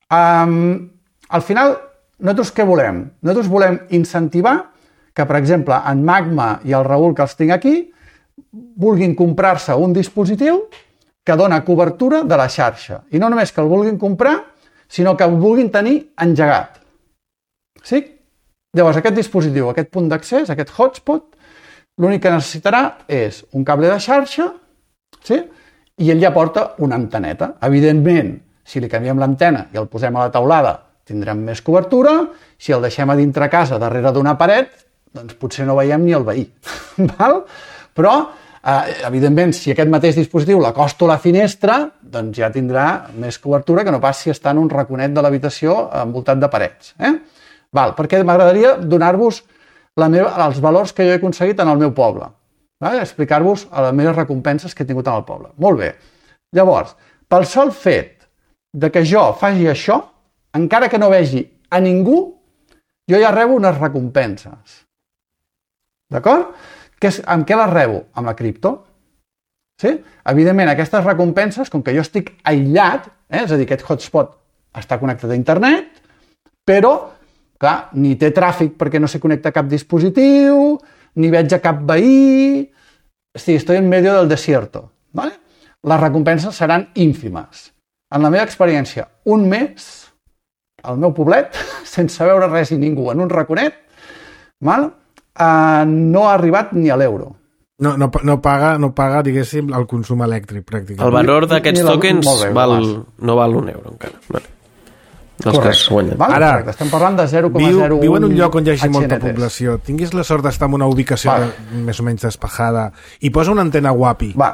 Um, al final, nosaltres què volem? Nosaltres volem incentivar que, per exemple, en Magma i el Raül, que els tinc aquí, vulguin comprar-se un dispositiu que dona cobertura de la xarxa. I no només que el vulguin comprar, sinó que el vulguin tenir engegat. Sí? Llavors, aquest dispositiu, aquest punt d'accés, aquest hotspot, l'únic que necessitarà és un cable de xarxa, sí? I ell ja porta una anteneta. Evidentment, si li canviem l'antena i el posem a la teulada, tindrem més cobertura. Si el deixem a dintre casa, darrere d'una paret, doncs potser no veiem ni el veí. Val? Però Uh, evidentment, si aquest mateix dispositiu l'acosto a la finestra, doncs ja tindrà més cobertura que no pas si està en un raconet de l'habitació envoltat de parets. Eh? Val, perquè m'agradaria donar-vos la meva, els valors que jo he aconseguit en el meu poble. Vale? Explicar-vos les meves recompenses que he tingut en el poble. Molt bé. Llavors, pel sol fet de que jo faci això, encara que no vegi a ningú, jo ja rebo unes recompenses. D'acord? Que és, amb què les rebo? Amb la cripto. Sí? Evidentment, aquestes recompenses, com que jo estic aïllat, eh, és a dir, aquest hotspot està connectat a internet, però, clar, ni té tràfic perquè no se connecta a cap dispositiu, ni veig a cap veí, sí, estoy en medio del desierto. ¿Vale? Les recompenses seran ínfimes. En la meva experiència, un mes, al meu poblet, sense veure res i ningú, en un raconet, val? Uh, no ha arribat ni a l'euro. No, no, no, paga, no paga, diguéssim, el consum elèctric, pràcticament. El valor d'aquests tokens bé, val, no val un euro, encara. Vale. Correcte. Val? Ara, correcte. Estem parlant de zero coma zero un... Viu en un lloc on hi hagi molta població. Tinguis la sort d'estar en una ubicació vale. més o menys despejada i posa una antena guapi. Va.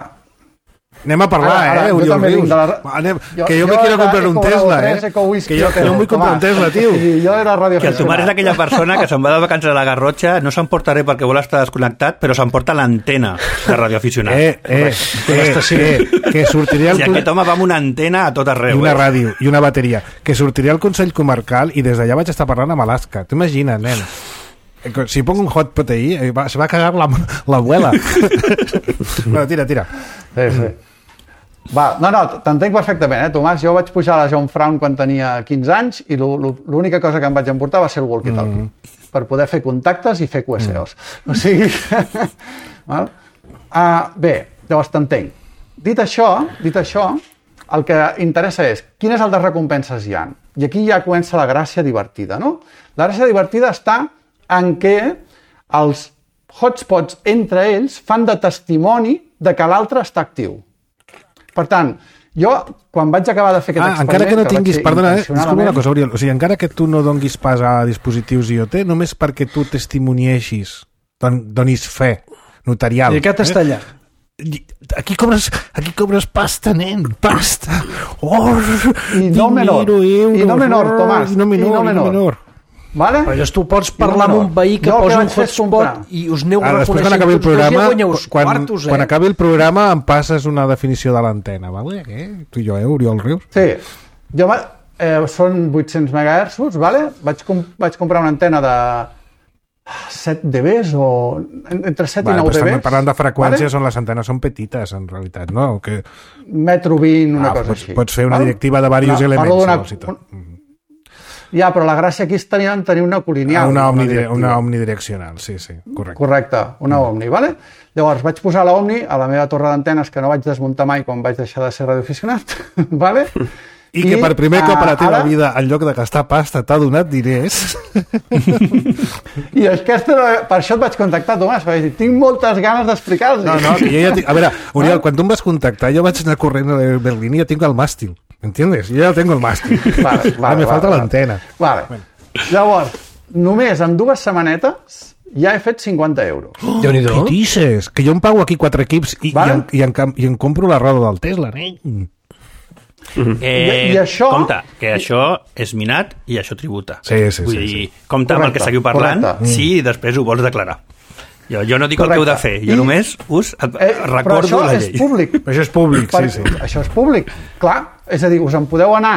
Anem a parlar, ara, ara, eh, Oriol Rius. La... Anem... Jo, que jo, jo me quiero comprar un Tesla, eh? Que jo, que jo em vull comprar un Tesla, tio. Sí, jo era radio que el Tomàs és aquella persona que se'n va de vacances a la Garrotxa, no s'emporta res perquè vol estar desconnectat, però s'emporta l'antena de radioaficionat. Eh, eh, eh, eh, que sortiria el... Si aquest home va amb una antena a tot arreu. I una eh? ràdio, i una bateria. Que sortiria al Consell Comarcal i des d'allà vaig estar parlant amb Alaska. T'ho imagines, nen? Si pongo un hotspot ahí, se va a cagar la, la abuela. Bueno, tira, tira. Sí, sí. Va, no, no, t'entenc perfectament, eh, Tomàs. Jo vaig pujar a la John Fraun quan tenia quinze anys i l'única cosa que em vaig emportar va ser el walkie-talkie, mm. per poder fer contactes i fer Q S Os. Mm. O sigui... Val? Uh, bé, llavors t'entenc. Dit això, dit això, el que interessa és quines altres recompenses hi ha. I aquí ja comença la gràcia divertida, no? La gràcia divertida està en què els hotspots entre ells fan de testimoni de que l'altre està actiu. Per tant, jo, quan vaig acabar de fer aquest ah, experiment... Encara que no que tinguis... Perdona, eh? Disculpa una cosa, Oriol. O sigui, encara que tu no donguis pas a dispositius IoT, només perquè tu testimonieixis, don, donis fe notarial. I aquest està allà. Aquí cobres, aquí cobres pasta, nen, pasta. Oh, I no menor, euros, i no menor, Tomàs, i no menor, i no menor. I no menor. Vale? Però llavors tu pots parlar amb un veí que posa un hotspot i us aneu reconeixent tots quan acabi el programa, quan, quartos, eh? quan acabi el programa em passes una definició de l'antena, vale? Eh? Tu i jo, eh, Oriol Rius? Sí. Jo, eh, són vuit-cents megahertzs, vale? Vaig, com, vaig comprar una antena de set decibels o entre set vale, i nou decibels. Parlant de freqüències, vale? On les antenes són petites, en realitat, no? Que... Metro vint, una ah, cosa pots, així. Pots fer una vale? Directiva de diversos no, elements. Una... Un... Ja, però la gràcia aquí és tenir, tenir una colineal. Una, omnidire, una omnidireccional, sí, sí, correcte. Correcte, una mm. omni, vale? Llavors vaig posar l'omni a la meva torre d'antenes que no vaig desmuntar mai quan vaig deixar de ser radioaficionat, vale? I, I que per primer cop a la teva ara... vida, en lloc de gastar pasta, t'ha donat diners. I aquesta, per això et vaig contactar, Tomàs, perquè tinc moltes ganes d'explicar-los. No, no, que jo ja tinc... A veure, Oriol, quan tu em vas contactar, jo vaig anar corrent a Berlín i ja tinc el màstil. ¿Entiendes? Yo ya tengo el màstil. Vale, vale, me falta vale, l'antena. Vale. Bueno. Llavors, només en dues setmanetes ja he fet cinquanta euros. Oh, què dices? Que jo em pago aquí quatre equips i, vale? i, en, i, en, i en compro la roda del Tesla, eh? Mm-hmm. Eh, I, i això... Compte, que això és minat i això tributa. Sí, sí, Vull sí, dir, sí. compte amb el que seguiu parlant correcte. si després ho vols declarar. Jo, jo no dic correcte. El que heu de fer, jo I, només us eh, recordo la llei. Però això és públic. Això és públic, per, sí, sí. Això és públic, clar. És a dir, us en podeu anar.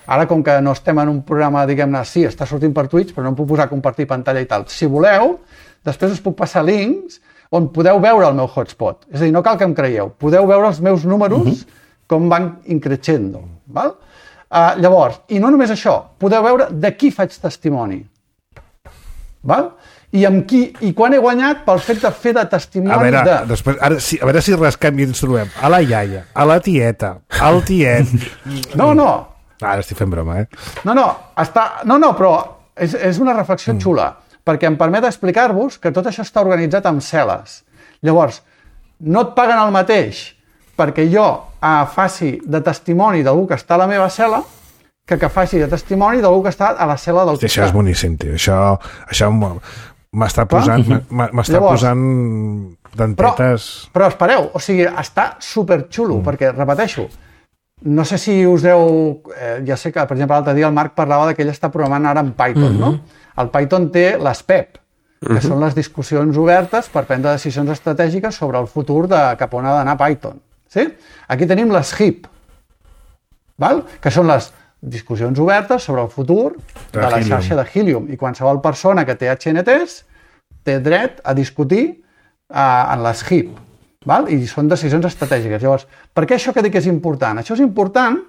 Ara, com que no estem en un programa, diguem-ne, sí, està sortint per Twitch, però no em puc posar a compartir pantalla i tal. Si voleu, després us puc passar links on podeu veure el meu hotspot. És a dir, no cal que em creieu. Podeu veure els meus números uh-huh. com van increixendo. Val? Uh, llavors, i no només això, podeu veure de qui faig testimoni. Val? I amb qui, i quan he guanyat pel fet de fer de testimoni a veure, de... Després, ara, si, a veure si rascam i ens trobem a la iaia, a la tieta, al tiet... No, no. Ara estic fent broma, eh? No, no, està... no, no, però és, és una reflexió mm. xula, perquè em permet explicar-vos que tot això està organitzat amb cel·les. Llavors, no et paguen el mateix perquè jo eh, faci de testimoni d'algú que està a la meva cel·la que que faci de testimoni d'algú que està a la cel·la del costat. Això és boníssim, tio. Això, això m'està posant, m'està posant d'antetes... Però, però espereu, o sigui, està superxulo, mm. perquè, repeteixo, no sé si us deu... Eh, ja sé que, per exemple, l'altre dia el Marc parlava que ell està programant ara en Python, mm-hmm. no? El Python té les P E P, que mm-hmm. són les discussions obertes per prendre decisions estratègiques sobre el futur de cap on ha d'anar Python. Sí? Aquí tenim les H I P, val? Que són les discussions obertes sobre el futur de, de la xarxa de Helium. I qualsevol persona que té H N Ts té dret a discutir eh, en les H I P. Val? I són decisions estratègiques. Llavors, per què això que dic és important? Això és important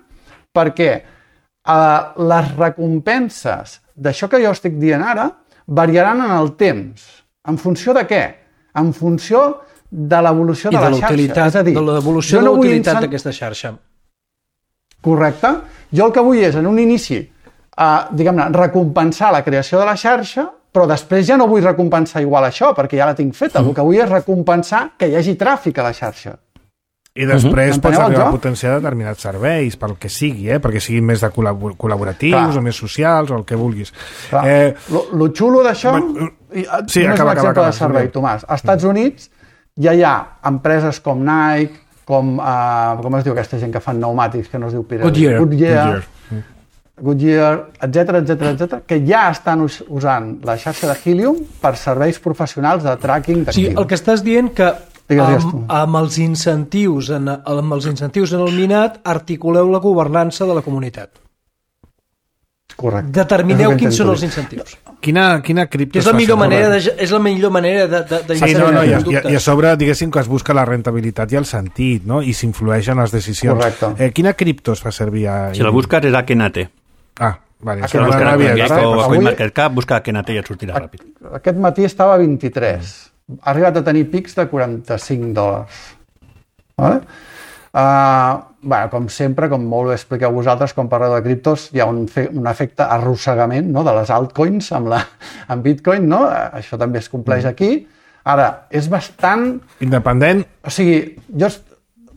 perquè eh, les recompenses d'això que jo estic dient ara variaran en el temps. En funció de què? En funció de l'evolució de, de la xarxa. És a dir, de l'evolució de no la utilitat incent... d'aquesta xarxa. Correcte. Jo el que vull és, en un inici, eh, diguem-ne, recompensar la creació de la xarxa, però després ja no vull recompensar igual això, perquè ja la tinc feta. El que vull és recompensar que hi hagi tràfic a la xarxa. I després uh-huh. pots arribar a potenciar determinats serveis, pel que sigui, eh? perquè siguin més de col·labor- col·laboratius Clar. o més socials o el que vulguis. Eh... Lo, lo xulo d'això... Bueno, sí, només acaba, un exemple acaba, acaba, de servei, Tomàs. Als Estats Units ja hi ha empreses com Nike, com, uh, com es diu aquesta gent que fan pneumàtics, que no es diu Pirelli? Goodyear. Goodyear. Goodyear. Goodyear, etcètera, etcètera, etcètera, que ja estan us- usant la xarxa de Helium per serveis professionals de tracking O sigui, d'actius. el que estàs dient que Digues, digues tu. amb, amb, els incentius en, amb els incentius en el minat articuleu la governança de la comunitat. Correcte. Determineu És el que quins són intento els dir. incentius. Quina, quina cripto Que és la es fa millor servir? manera de, és la millor manera de, de, de Sí, no, no, i, a, i, a, conductes. i a sobre, diguéssim, que es busca la rentabilitat i el sentit, no? I s'influeix en les decisions. Correcte. Eh, quina cripto es fa servir? A... Si la busques és Akenate. Ah, vale. Ah, Si que la busca buscar a havia Akenate. de- o a Avui- CoinMarketCap, busca Akenate i et sortirà ràpid. Aquest matí estava a vint-i-tres. Ha arribat a tenir pics de quaranta-cinc dòlars. Vale? Uh, bueno, com sempre, com molt bé expliqueu vosaltres, quan parleu de criptos, hi ha un, fe, un efecte arrossegament, no?, de les altcoins amb, la, amb Bitcoin, no? Això també es compleix aquí. Ara, és bastant... Independent? O sigui, jo,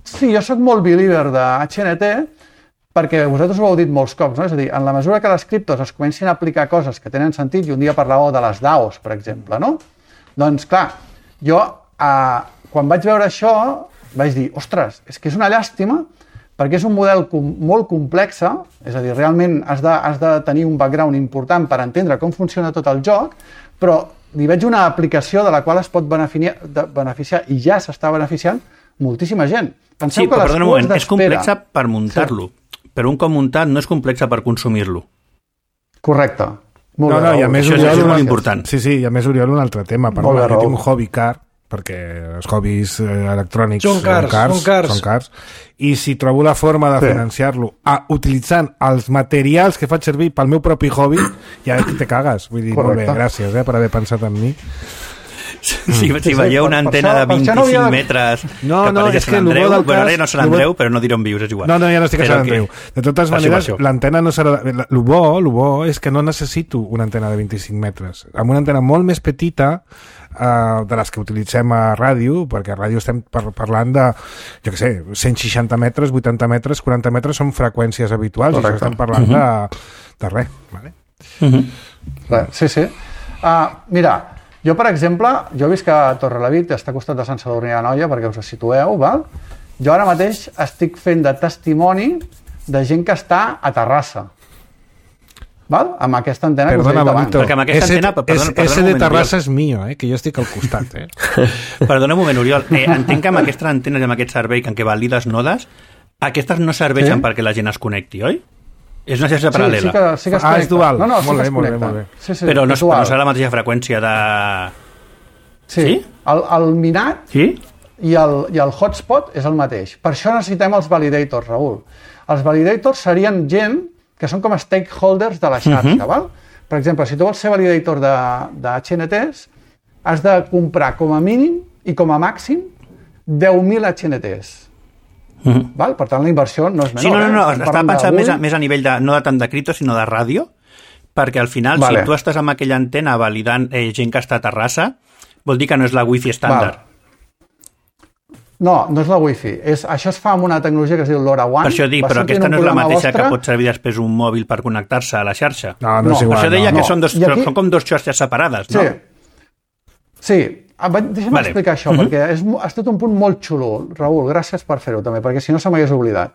sí, jo sóc molt believer de H N T perquè vosaltres ho heu dit molts cops, no? És a dir, en la mesura que les criptos es comencin a aplicar coses que tenen sentit, i un dia parlàveu de les D A Os, per exemple, no? Doncs, clar, jo, eh, quan vaig veure això, vaig dir, ostres, és que és una llàstima perquè és un model com, molt complex, és a dir, realment has de, has de tenir un background important per entendre com funciona tot el joc, però li veig una aplicació de la qual es pot beneficiar, de, beneficiar i ja s'està beneficiant moltíssima gent. Penseu Sí, que però les perdona un cues moment, és d'espera- complexa per muntar-lo. Però un cop muntat no és complexa per consumir-lo. Correcte. Molt No, bé, no, i a Raül. més, Això és- Oriol, això és una- molt important. Sí, sí, i a més, Oriol, un altre tema. Per Molt bé, jo Raül. tinc un hobby car, perquè els hobbies eh, electrònics Són cars, són cars. són cars, i si trobo la forma de Sí. financiar-lo a, utilitzant els materials que faig servir pel meu propi hobby, ja te cagues. Vull dir, Correcte. molt bé, gràcies eh, per haver pensat en mi. Si, si sí, veieu per- una per antena això- de per això no vint-i-cinc havia- metres No, que no, pareix és Sant que el bo Andreu, del bueno, cas- ara no Sant el bo- Andreu, però no diré on vius, és igual. No, no, ja no estic a Però Sant que- Andreu. De totes per això, maneres, per això. l'antena no serà... El bo, lo bo és que no necessito una antena de vint-i-cinc metres. Amb una antena molt més petita, eh, de les que utilitzem a ràdio, perquè a ràdio estem par parlant de, jo què sé, cent seixanta metres, vuitanta metres, quaranta metres són freqüències habituals, Correcte. i això estem parlant de, de res. Vale? Res, sí, sí. Uh, mira, jo, per exemple, jo he vist que Torrelavit està al costat de Sant Sadurní d'Anoia, perquè us situeu, val? Jo ara mateix estic fent de testimoni de gent que està a Terrassa, val? Amb aquesta antena que us he Perdona, dit abans. Bonito. Perquè amb aquesta Ese, antena- perdona- ese, perdona ese un de moment, Terrassa Oriol. és mío, eh? Que jo estic al costat, eh? Perdona un moment, Oriol. Eh, entenc que amb aquestes antenes i amb aquest servei en què valides nodes, aquestes no serveixen Sí? perquè la gent es connecti, oi? És una xarxa Sí, paral·lela. sí que, sí que es Ah, és connecta. dual. No, no, sí Molt que bé, es molt bé, connecta. molt bé. Sí, sí, però no, és és, no dual. serà la mateixa freqüència de... Sí, Sí? el, el minat Sí? i el, i el hotspot és el mateix. Per això necessitem els validators, Raül. Els validators serien gent que són com a stakeholders de la xarxa, uh -huh. val? Per exemple, si tu vols ser validator de, de H N Ts, has de comprar com a mínim i com a màxim deu mil H N Ts. Uh -huh. Val? Per tant, la inversió no és menor. Sí, no, no, no, eh? Estem estava parlant pensant d'avui. més a, més a nivell de, no de tant de cripto, sinó de ràdio, perquè al final, Vale. si tu estàs amb aquella antena validant eh, gent que està a Terrassa, vol dir que no és la wifi estàndard. Val. No, no és la wifi. És, això es fa amb una tecnologia que es diu LoRaWAN. Per això dic, Va però sortir en aquesta un no és la programa mateixa vostre. que pot servir després un mòbil per connectar-se a la xarxa. No, no, No, és Per igual. això deia no. que no. són, dos, I aquí- són com dos xarxes separades, no? Sí. Sí, Deixa'm vale. explicar això, uh-huh. perquè és, ha estat un punt molt xulo. Raül, gràcies per fer-ho també, perquè si no se m'hagués oblidat.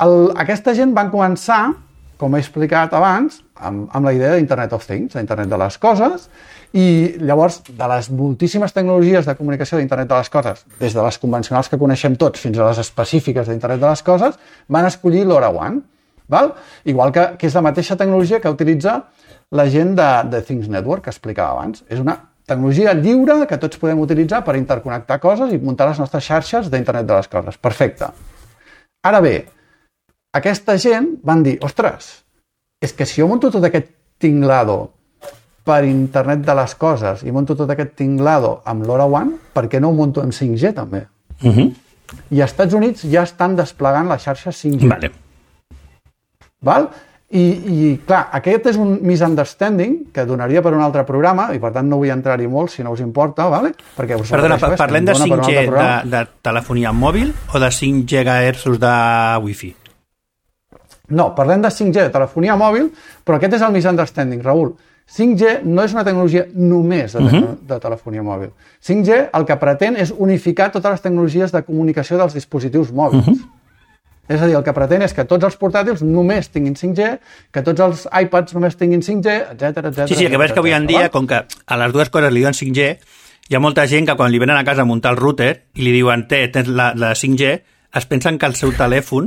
El, aquesta gent van començar, com he explicat abans, amb, amb la idea d'Internet of Things, d'Internet de les coses, i llavors, de les moltíssimes tecnologies de comunicació d'Internet de les coses, des de les convencionals que coneixem tots fins a les específiques d'Internet de les coses, van escollir LoRaWAN, val? Igual que, que és la mateixa tecnologia que utilitza la gent de, de Things Network, que explicava abans. És una tecnologia lliure que tots podem utilitzar per interconnectar coses i muntar les nostres xarxes d'Internet de les coses. Perfecte. Ara bé, aquesta gent van dir, ostres, és que si jo munto tot aquest tinglado per Internet de les coses i monto tot aquest tinglado amb LoRaWAN, per què no ho monto amb cinc G també? Uh-huh. I als Estats Units ja estan desplegant la xarxa cinc G. Vale. Val? I, I, clar, aquest és un misunderstanding que donaria per un altre programa, i per tant no vull entrar-hi molt, si no us importa, vale? Perquè us Perdona, parlem de cinc G de, de telefonia mòbil o de cinc gigahertzos de Wi-Fi? No, parlem de cinc G de telefonia mòbil, però aquest és el misunderstanding, Raül. cinc G no és una tecnologia només de, uh-huh. de telefonia mòbil. cinc G el que pretén és unificar totes les tecnologies de comunicació dels dispositius mòbils. Uh-huh. És a dir, el que pretén és que tots els portàtils només tinguin cinc G, que tots els iPads només tinguin cinc G, etcètera, etcètera. Sí, sí, el que veus que avui en dia, com que a les dues coses li diuen cinc G, hi ha molta gent que quan li venen a casa a muntar el router i li diuen, té, tens la, la cinc G, es pensen que el seu telèfon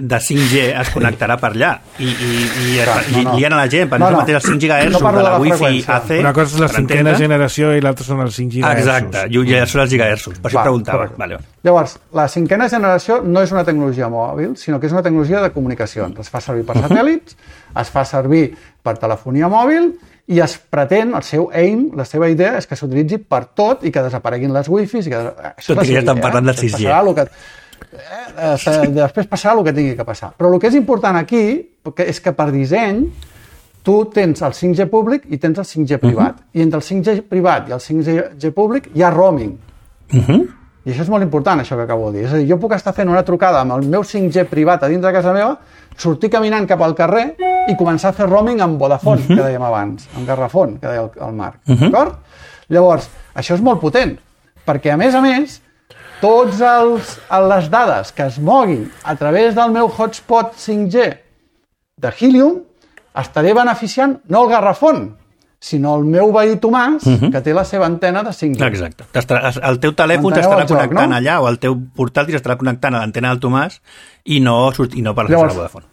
de cinc G es connectarà per allà i, i, i, Clar, i no, no. lien a la gent per no, no. els cinc gigahertzos no de la, la Wi-Fi A C. Una cosa és la cinquena generació i l'altra són els cinc gigahertzos. Exacte, i ja són els gigahertzos, per això preguntava. Vale. Llavors, la cinquena generació no és una tecnologia mòbil, sinó que és una tecnologia de comunicacions. Es fa servir per satèl·lits, es fa servir per telefonia mòbil i es pretén, el seu aim, la seva idea és que s'utilitzi per tot i que desapareguin les Wi-Fis. I que... Tot i que ja estan parlant del sis G. Que... Eh, després passarà el que tingui que passar. Però el que és important aquí és que per disseny tu tens el cinc G públic i tens el cinc G privat. Uh-huh. I entre el cinc G privat i el cinc G públic hi ha roaming. Uh-huh. I això és molt important, això que acabo de dir. És a dir, jo puc estar fent una trucada amb el meu cinc G privat a dins de casa meva, sortir caminant cap al carrer i començar a fer roaming amb Vodafone, uh-huh. que dèiem abans, amb Garrafón, que deia el, el Marc. Uh-huh. D'acord? Llavors, això és molt potent, perquè a més a més tots els, les dades que es moguin a través del meu hotspot cinc G de Helium estaré beneficiant no el Garrafón, sinó el meu veí Tomàs, uh-huh. que té la seva antena de cinc G. Exacte. El teu telèfon t'estarà connectant joc, no? allà, o el teu portàtil estarà connectant a l'antena del Tomàs i no, i no per la Vodafone.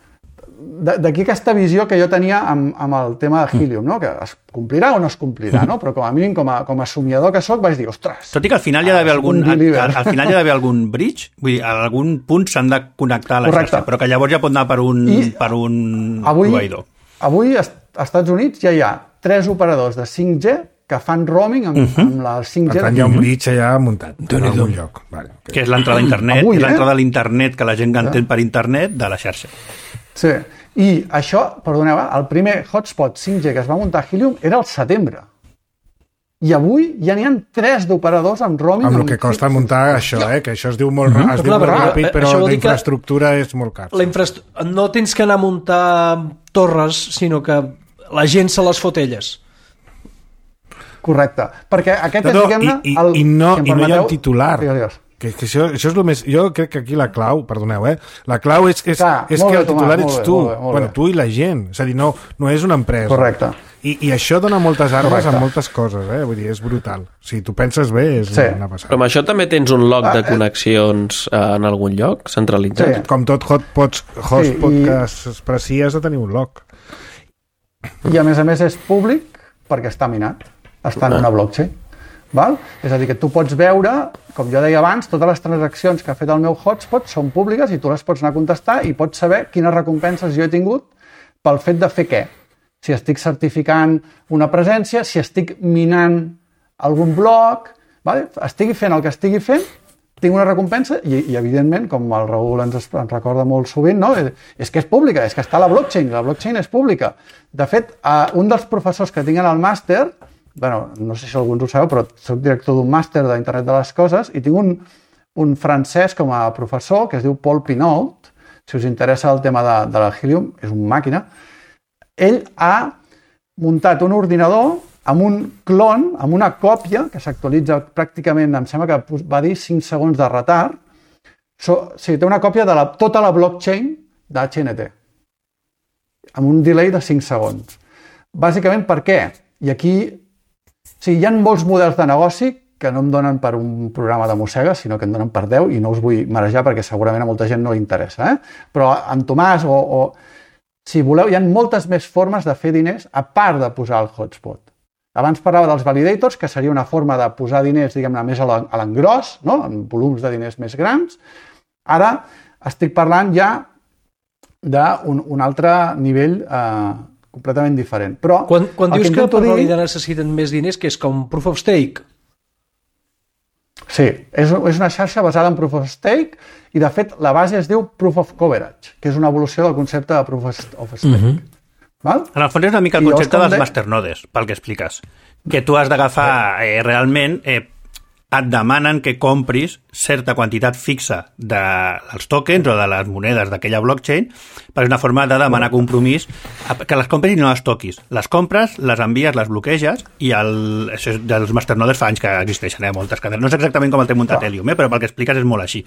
D'aquí aquesta visió que jo tenia amb, amb el tema de Helium, no? Que es complirà o no es complirà, no? Però com a mínim, com a, com a somiador que soc, vaig dir, ostres... Tot i que al final hi ha d'haver algun, al, al final hi ha d'haver algun bridge, vull dir, a algun punt s'han de connectar a la xarxa, però que llavors ja pot anar per un, per un avui, proveïdor. Avui, als Estats Units, ja hi ha tres operadors de cinc G que fan roaming amb, uh-huh. amb la cinc G. Per tant, hi ha un bridge allà muntat en algun lloc. Vale, okay. Que és l'entrada a internet, avui, és l'entrada eh? a l'internet que la gent entén per internet de la xarxa. Sí, i això, perdoneu, el primer hotspot cinc G que es va muntar a Helium era al setembre. I avui ja n'hi ha tres d'operadors amb roaming. Amb el que costa muntar això, eh? Que això es diu molt, uh-huh. es diu molt ràpid, però la infraestructura és molt car. La infrastru... No tens que anar a muntar torres, sinó que la gent se les fot elles. Correcte. Perquè aquest no, no, és, diguem-ne... I, i, el... i, no, si i no hi ha un titular. Digues, digues. Que, que això, això és el més... Jo crec que aquí la clau, perdoneu, eh? La clau és, és, Clar, és que bé, el titular Tomàs, ets bé, tu. Molt bé, molt bueno, tu i la gent. És a dir, no, no és una empresa. Correcte. I, I això dona moltes armes Correcte. a moltes coses, eh? Vull dir, és brutal. Si tu penses bé, és sí. una passada. Però amb això també tens un log de connexions en algun lloc centralitzat? Sí. Com tot hotpots, hotspot sí, i... que s'expressi has de tenir un log. I a més a més és públic perquè està minat. Està en una blockchain. Val? És a dir, que tu pots veure, com jo deia abans, totes les transaccions que ha fet el meu hotspot són públiques i tu les pots anar a contestar i pots saber quines recompenses jo he tingut pel fet de fer què. Si estic certificant una presència, si estic minant algun bloc, vale? Estigui fent el que estigui fent, tinc una recompensa i, i evidentment, com el Raül ens, ens recorda molt sovint, no? És que és pública, és que està a la blockchain, la blockchain és pública. De fet, un dels professors que tinc en el màster, bueno, no sé si alguns ho sabeu, però soc director d'un màster d'Internet de les Coses i tinc un, un francès com a professor que es diu Paul Pinault, si us interessa el tema de, de la Helium, és una màquina. Ell ha muntat un ordinador amb un clon, amb una còpia, que s'actualitza pràcticament, em sembla que va dir cinc segons de retard. So, o sigui, té una còpia de la, tota la blockchain d'H N T, amb un delay de cinc segons. Bàsicament, per què? I aquí, o sigui, hi ha molts models de negoci que no em donen per un programa de mossega, sinó que em donen per deu, i no us vull marejar perquè segurament a molta gent no li interessa. Eh? Però en Tomàs, o, o si voleu, hi ha moltes més formes de fer diners a part de posar el hotspot. Abans parlava dels validators, que seria una forma de posar diners, diguem-ne, més a l'engròs, no? En volums de diners més grans. Ara estic parlant ja d'un un altre nivell eh, completament diferent. Però quan quan dius que, que per dir... validar necessiten més diners, que és com proof of stake? Sí, és, és una xarxa basada en proof of stake i, de fet, la base es diu proof of coverage, que és una evolució del concepte de proof of stake. Uh-huh. Val? En el fons és una mica el I concepte dels de... masternodes, pel que expliques. Que tu has d'agafar eh, realment... Eh, et demanen que compris certa quantitat fixa de, dels tokens o de les monedes d'aquella blockchain, perquè és una forma de demanar compromís que les compris i no les toquis. Les compres, les envies, les bloqueges, i el, això és dels masternodes fa anys que existeixen, eh, moltes cadenes. No és exactament com el té muntat Helium, eh, però pel que expliques és molt així.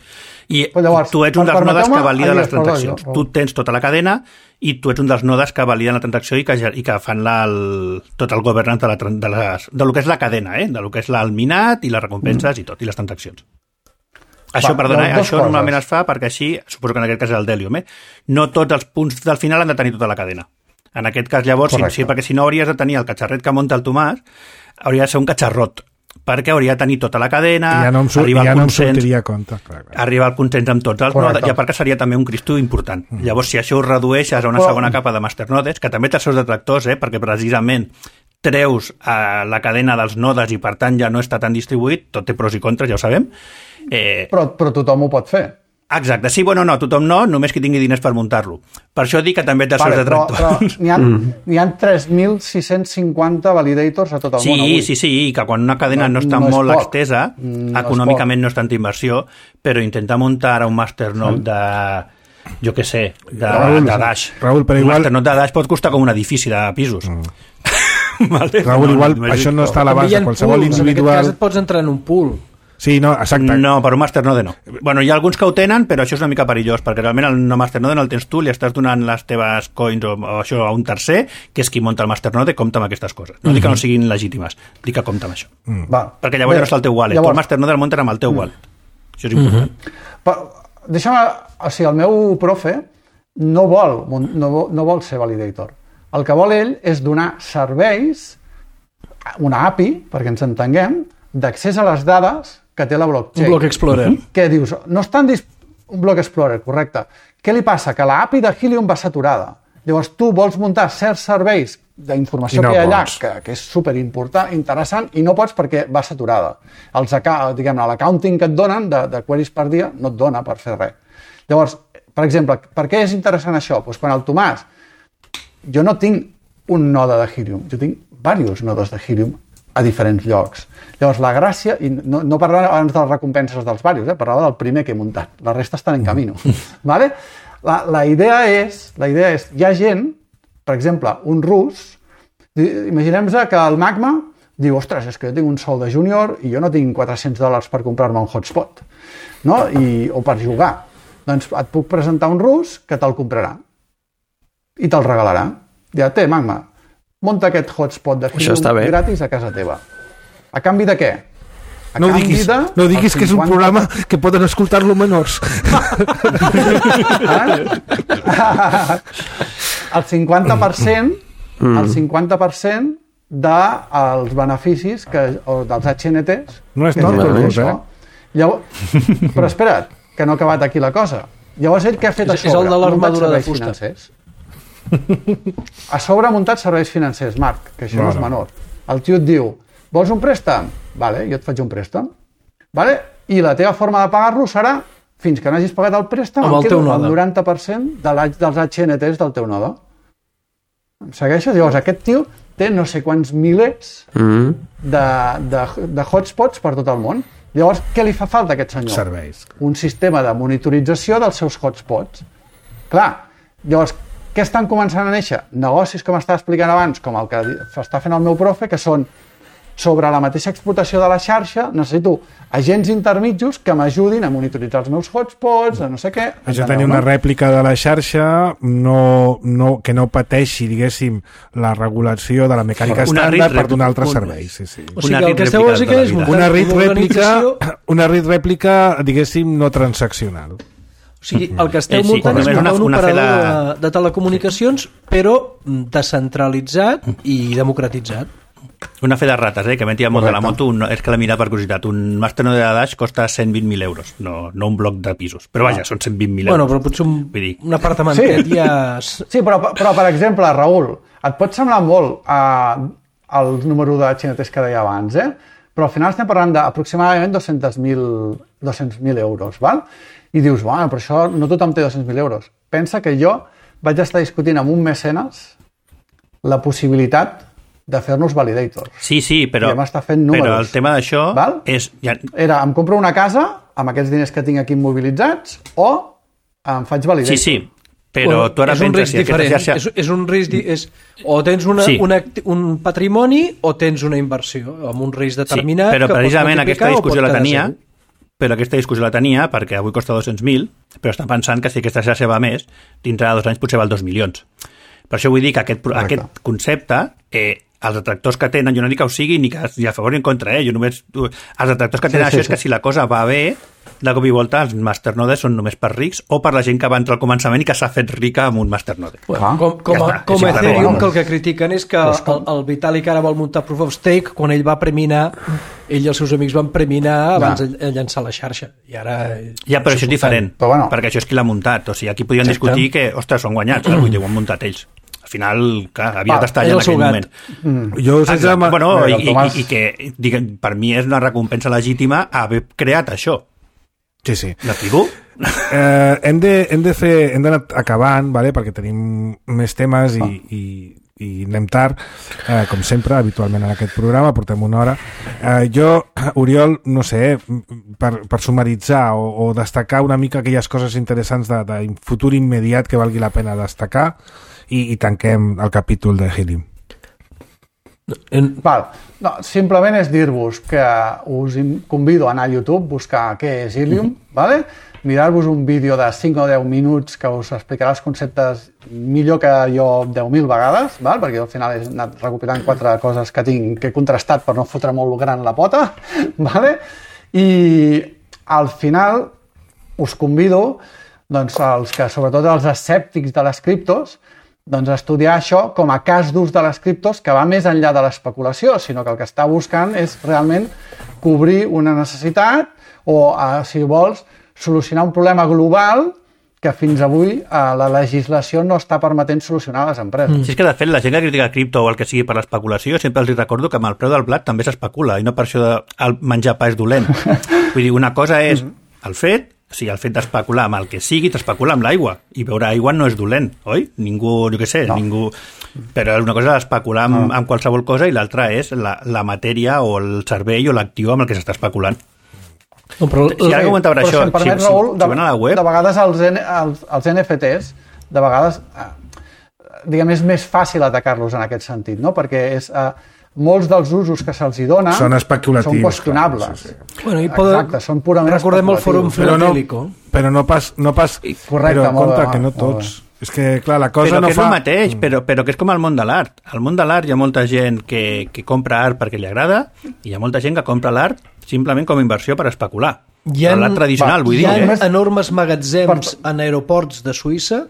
I llavors, tu ets un dels nodes que valida les transaccions. Tu tens tota la cadena i tu ets un dels nodes que validen la transacció i que, i que fan la, el, tot el governance de, la, de, les, de lo que és la cadena, eh? De lo que és el minat i les recompenses mm. i tot, i les transaccions. Això, Va, perdona, eh? Això coses. Normalment es fa perquè així, suposo que en aquest cas és el Delium, eh? No tots els punts del final han de tenir tota la cadena. En aquest cas, llavors, sí, sí, perquè si no hauries de tenir el catxarret que munta el Tomàs, hauria de ser un catxarrot, perquè hauria de tenir tota la cadena, ja no em, sur arribar ja al no consens, sortiria a compte. Clar, clar. Arribar al consens amb tots els nodes, i a part que seria també un cristo important. Mm. Llavors, si això ho redueixes a una Però... segona capa de masternodes, que també té els seus detractors, eh, perquè precisament treus a la cadena dels nodes i per tant ja no està tan distribuït, tot té pros i contres, ja ho sabem. Eh... Però, però tothom ho pot fer. Exacte, sí, bueno, no, tothom no, només qui tingui diners per muntar-lo. Per això dic que també té els vale, seus detractors. Però, però n'hi ha, mm. ha tres mil sis-cents cinquanta validators a tot el sí, món avui. Sí, sí, sí, que quan una cadena no, no està no molt extesa, no econòmicament no és tanta inversió, però intentar muntar ara un masternode mm. de, jo què sé, de, Raül, de Dash. Raül, però igual... Un masternode de Dash pot costar com un edifici de pisos. Mm. Vale? Raül, no, igual no, no això no està a la base, qualsevol pools, individual... En aquest cas et pots entrar en un pool. Sí, no, exacte. No, per un masternode no. Bueno, hi ha alguns que ho tenen, però això és una mica perillós, perquè realment el no masternode no el tens tu, li estàs donant les teves coins o, o això a un tercer, que és qui munta el masternode, compta amb aquestes coses. No mm-hmm. dic que no siguin legítimes, dic que compta amb això. Mm. Va. Perquè llavors Bé, ja no està el teu wallet. Llavors... Tu el masternode el munten amb el teu mm. wallet. Això és important. Mm-hmm. Però, deixa'm, o sigui, el meu profe no vol, no, no vol ser validator. El que vol ell és donar serveis, una A P I, perquè ens entenguem, d'accés a les dades que té la blockchain. Un bloc explorer. Què dius? No estan dis... Un bloc explorer, correcte. Què li passa? Que la A P I de Helium va saturada. Llavors tu vols muntar certs serveis d'informació no que hi ha allà, que, que és superimportant, interessant, i no pots perquè va saturada. Els, diguem-ne, l'accounting que et donen de, de queries per dia no et dona per fer res. Llavors, per exemple, per què és interessant això? Pues quan el Tomàs, jo no tinc un node de Helium, jo tinc diversos nodes de Helium a diferents llocs. Llavors, la gràcia, i no, no parlava abans de les recompenses dels diversos, eh? Parlava del primer que he muntat. La resta estan en camino. Vale? La, la, idea és, la idea és, hi ha gent, per exemple, un rus, imaginem-se que el Magma diu, ostres, és que jo tinc un sou de júnior i jo no tinc quatre-cents dòlars per comprar-me un hotspot, no? I, o per jugar. Doncs et puc presentar un rus que te'l comprarà i te'l regalarà. Ja té, Magma, munta aquest hotspot de Helium gratis a casa teva. A canvi de què? A no diguis, de no diguis que és un programa que poden escoltar-lo menors. El cinquanta per cent mm. el cinquanta per cent dels beneficis que, o dels H N Ts no és tot, tot eh? Llavors, però espera't, que no ha acabat aquí la cosa. Llavors ell què ha fet a sobre? És el de l'armadura de fusta. Financers. A sobre ha muntat serveis financers, Marc, que això no, no és menor. El tio et diu, vols un préstec? Vale, jo et faig un préstec. Vale? I la teva forma de pagar-lo serà, fins que no hagis pagat el préstec, amb el, teu el noranta per cent de dels H N Ts del teu node. Em segueixes? Llavors, aquest tio té no sé quants milers mm. de, de, de hotspots per tot el món. Llavors, què li fa falta a aquest senyor? Serveis. Un sistema de monitorització dels seus hotspots. Clar, llavors, què estan començant a néixer? Negocis, com estava explicant abans, com el que està fent el meu profe, que són sobre la mateixa explotació de la xarxa, necessito agents intermitjos que m'ajudin a monitoritzar els meus hotspots, a no sé què... Això tenir una rèplica de la xarxa no, no, que no pateixi, diguéssim, la regulació de la mecànica estàndard per donar altres serveis. Sí, sí. O sigui, el que esteu dir que és una RIT rèplica, una RIT rèplica, diguéssim, no transaccional. O sigui, el que esteu muntant és muntar un operador de, de telecomunicacions, però descentralitzat i democratitzat. Una fe de rates, eh, que m'he tirat molt de la moto, un, és que l'he mirat per curiositat. Un masternode de Dash costa cent vint mil euros, no, no un bloc de pisos. Però vaja, són cent vint mil euros. Bueno, però potser un, un apartamentet sí. ja... Sí, però, però per exemple, Raül, et pot semblar molt uh, el número de xinetes que deia abans, eh? Però al final estem parlant d'aproximadament dos-cents mil euros, val? I dius, bueno, però això no tothom té dos-cents mil euros. Pensa que jo vaig estar discutint amb un mecenes la possibilitat de fer-nos validators. Sí, sí, però, fent però el tema d'això és... Ja... Era, em compro una casa amb aquests diners que tinc aquí immobilitzats o em faig validator. Sí, sí, però bueno, tu ara és un penses... risc diferent. Xarxa... És, és un risc... És, o tens una, sí. una, un patrimoni o tens una inversió amb un risc determinat... Sí, però que precisament aquesta discussió la tenia... Segur. Però aquesta discussió la tenia perquè avui costa dos-cents mil, però estan pensant que si aquesta xarxa va més, dintre de dos anys potser val dos milions. Per això vull dir que aquest, aquest concepte... Eh, els detractors que tenen, jo no dic que ho sigui ni que ni a favor ni en contra, eh? Jo només, els detractors que tenen sí, sí, això és que sí. Si la cosa va bé, de cop i volta els masternodes són només per rics o per la gent que va entrar al començament i que s'ha fet rica amb un masternode. Bueno, com com, a, com a Ethereum, que el que critiquen és que el, el Vitalik ara vol muntar Proof of Stake, quan ell va preminar, ell i els seus amics van preminar abans ja. de llançar la xarxa. I ara... Ja, però això és diferent, bueno. perquè això és qui l'ha muntat. O sigui, aquí podien sí, discutir que, ostres, són guanyats, mm. vull dir, ho han muntat ells. Al final, clar, havia d'estar allà en aquell moment. Mm. Jo sense... Bueno, i, i, i que diguem, per mi és una recompensa legítima haver creat això. Sí, sí. L'explico? Eh, hem de, hem de fer, hem d'anar acabant, vale? Perquè tenim més temes i, ah. i, i anem tard, eh, com sempre, habitualment en aquest programa, portem una hora. Eh, jo, Oriol, no sé, per, per sumaritzar o, o destacar una mica aquelles coses interessants de, de futur immediat que valgui la pena destacar, i, i tanquem el capítol de Helium. En... Val. No, simplement és dir-vos que us convido a anar a YouTube, buscar què és Helium, mm-hmm. vale? Mirar-vos un vídeo de cinc o deu minuts que us explicarà els conceptes millor que jo deu mil vegades, val? Perquè al final he anat recopilant quatre coses que tinc que he contrastat per no fotre molt gran la pota, vale? I al final us convido, doncs, als que, sobretot els escèptics de les criptos, doncs estudiar això com a cas d'ús de les criptos que va més enllà de l'especulació, sinó que el que està buscant és realment cobrir una necessitat o, si vols, solucionar un problema global que fins avui eh, la legislació no està permetent solucionar a les empreses. Mm. Si és que, de fet, la gent que critica cripto o el que sigui per l'especulació, sempre els recordo que amb el preu del blat també s'especula, i no per això de el menjar pa és dolent. Vull dir, una cosa és el fet, o sigui, el fet d'especular amb el que sigui, t'especula amb l'aigua, i beure aigua no és dolent, oi? Ningú, jo què sé, no. ningú... Però una cosa és especular amb, no. amb qualsevol cosa i l'altra és la, la matèria o el servei o l'actiu amb el que s'està especulant. No, però, si ara que comentava això, si, permet, si, Raül, si, si van a la web... De vegades els, els, els N F Ts, de vegades, eh, diguem, és més fàcil atacar-los en aquest sentit, no? Perquè és... Eh, molts dels usos que se'ls hi dona són especulatius, són qüestionables. Clar, sí, sí. Bueno, i poden... Exacte, són purament recordem el fòrum filatélico. Però, no, però no pas... No pas correcte, però compte bé, que no tots... És que, clar, la cosa però no que és fa... el mateix, però, però que és com el món de l'art. Al món de l'art hi ha molta gent que, que compra art perquè li agrada i hi ha molta gent que compra l'art simplement com a inversió per especular. Hi ha, l'art tradicional, va, vull hi dir. Hi ha eh? enormes magatzems per... en aeroports de Suïssa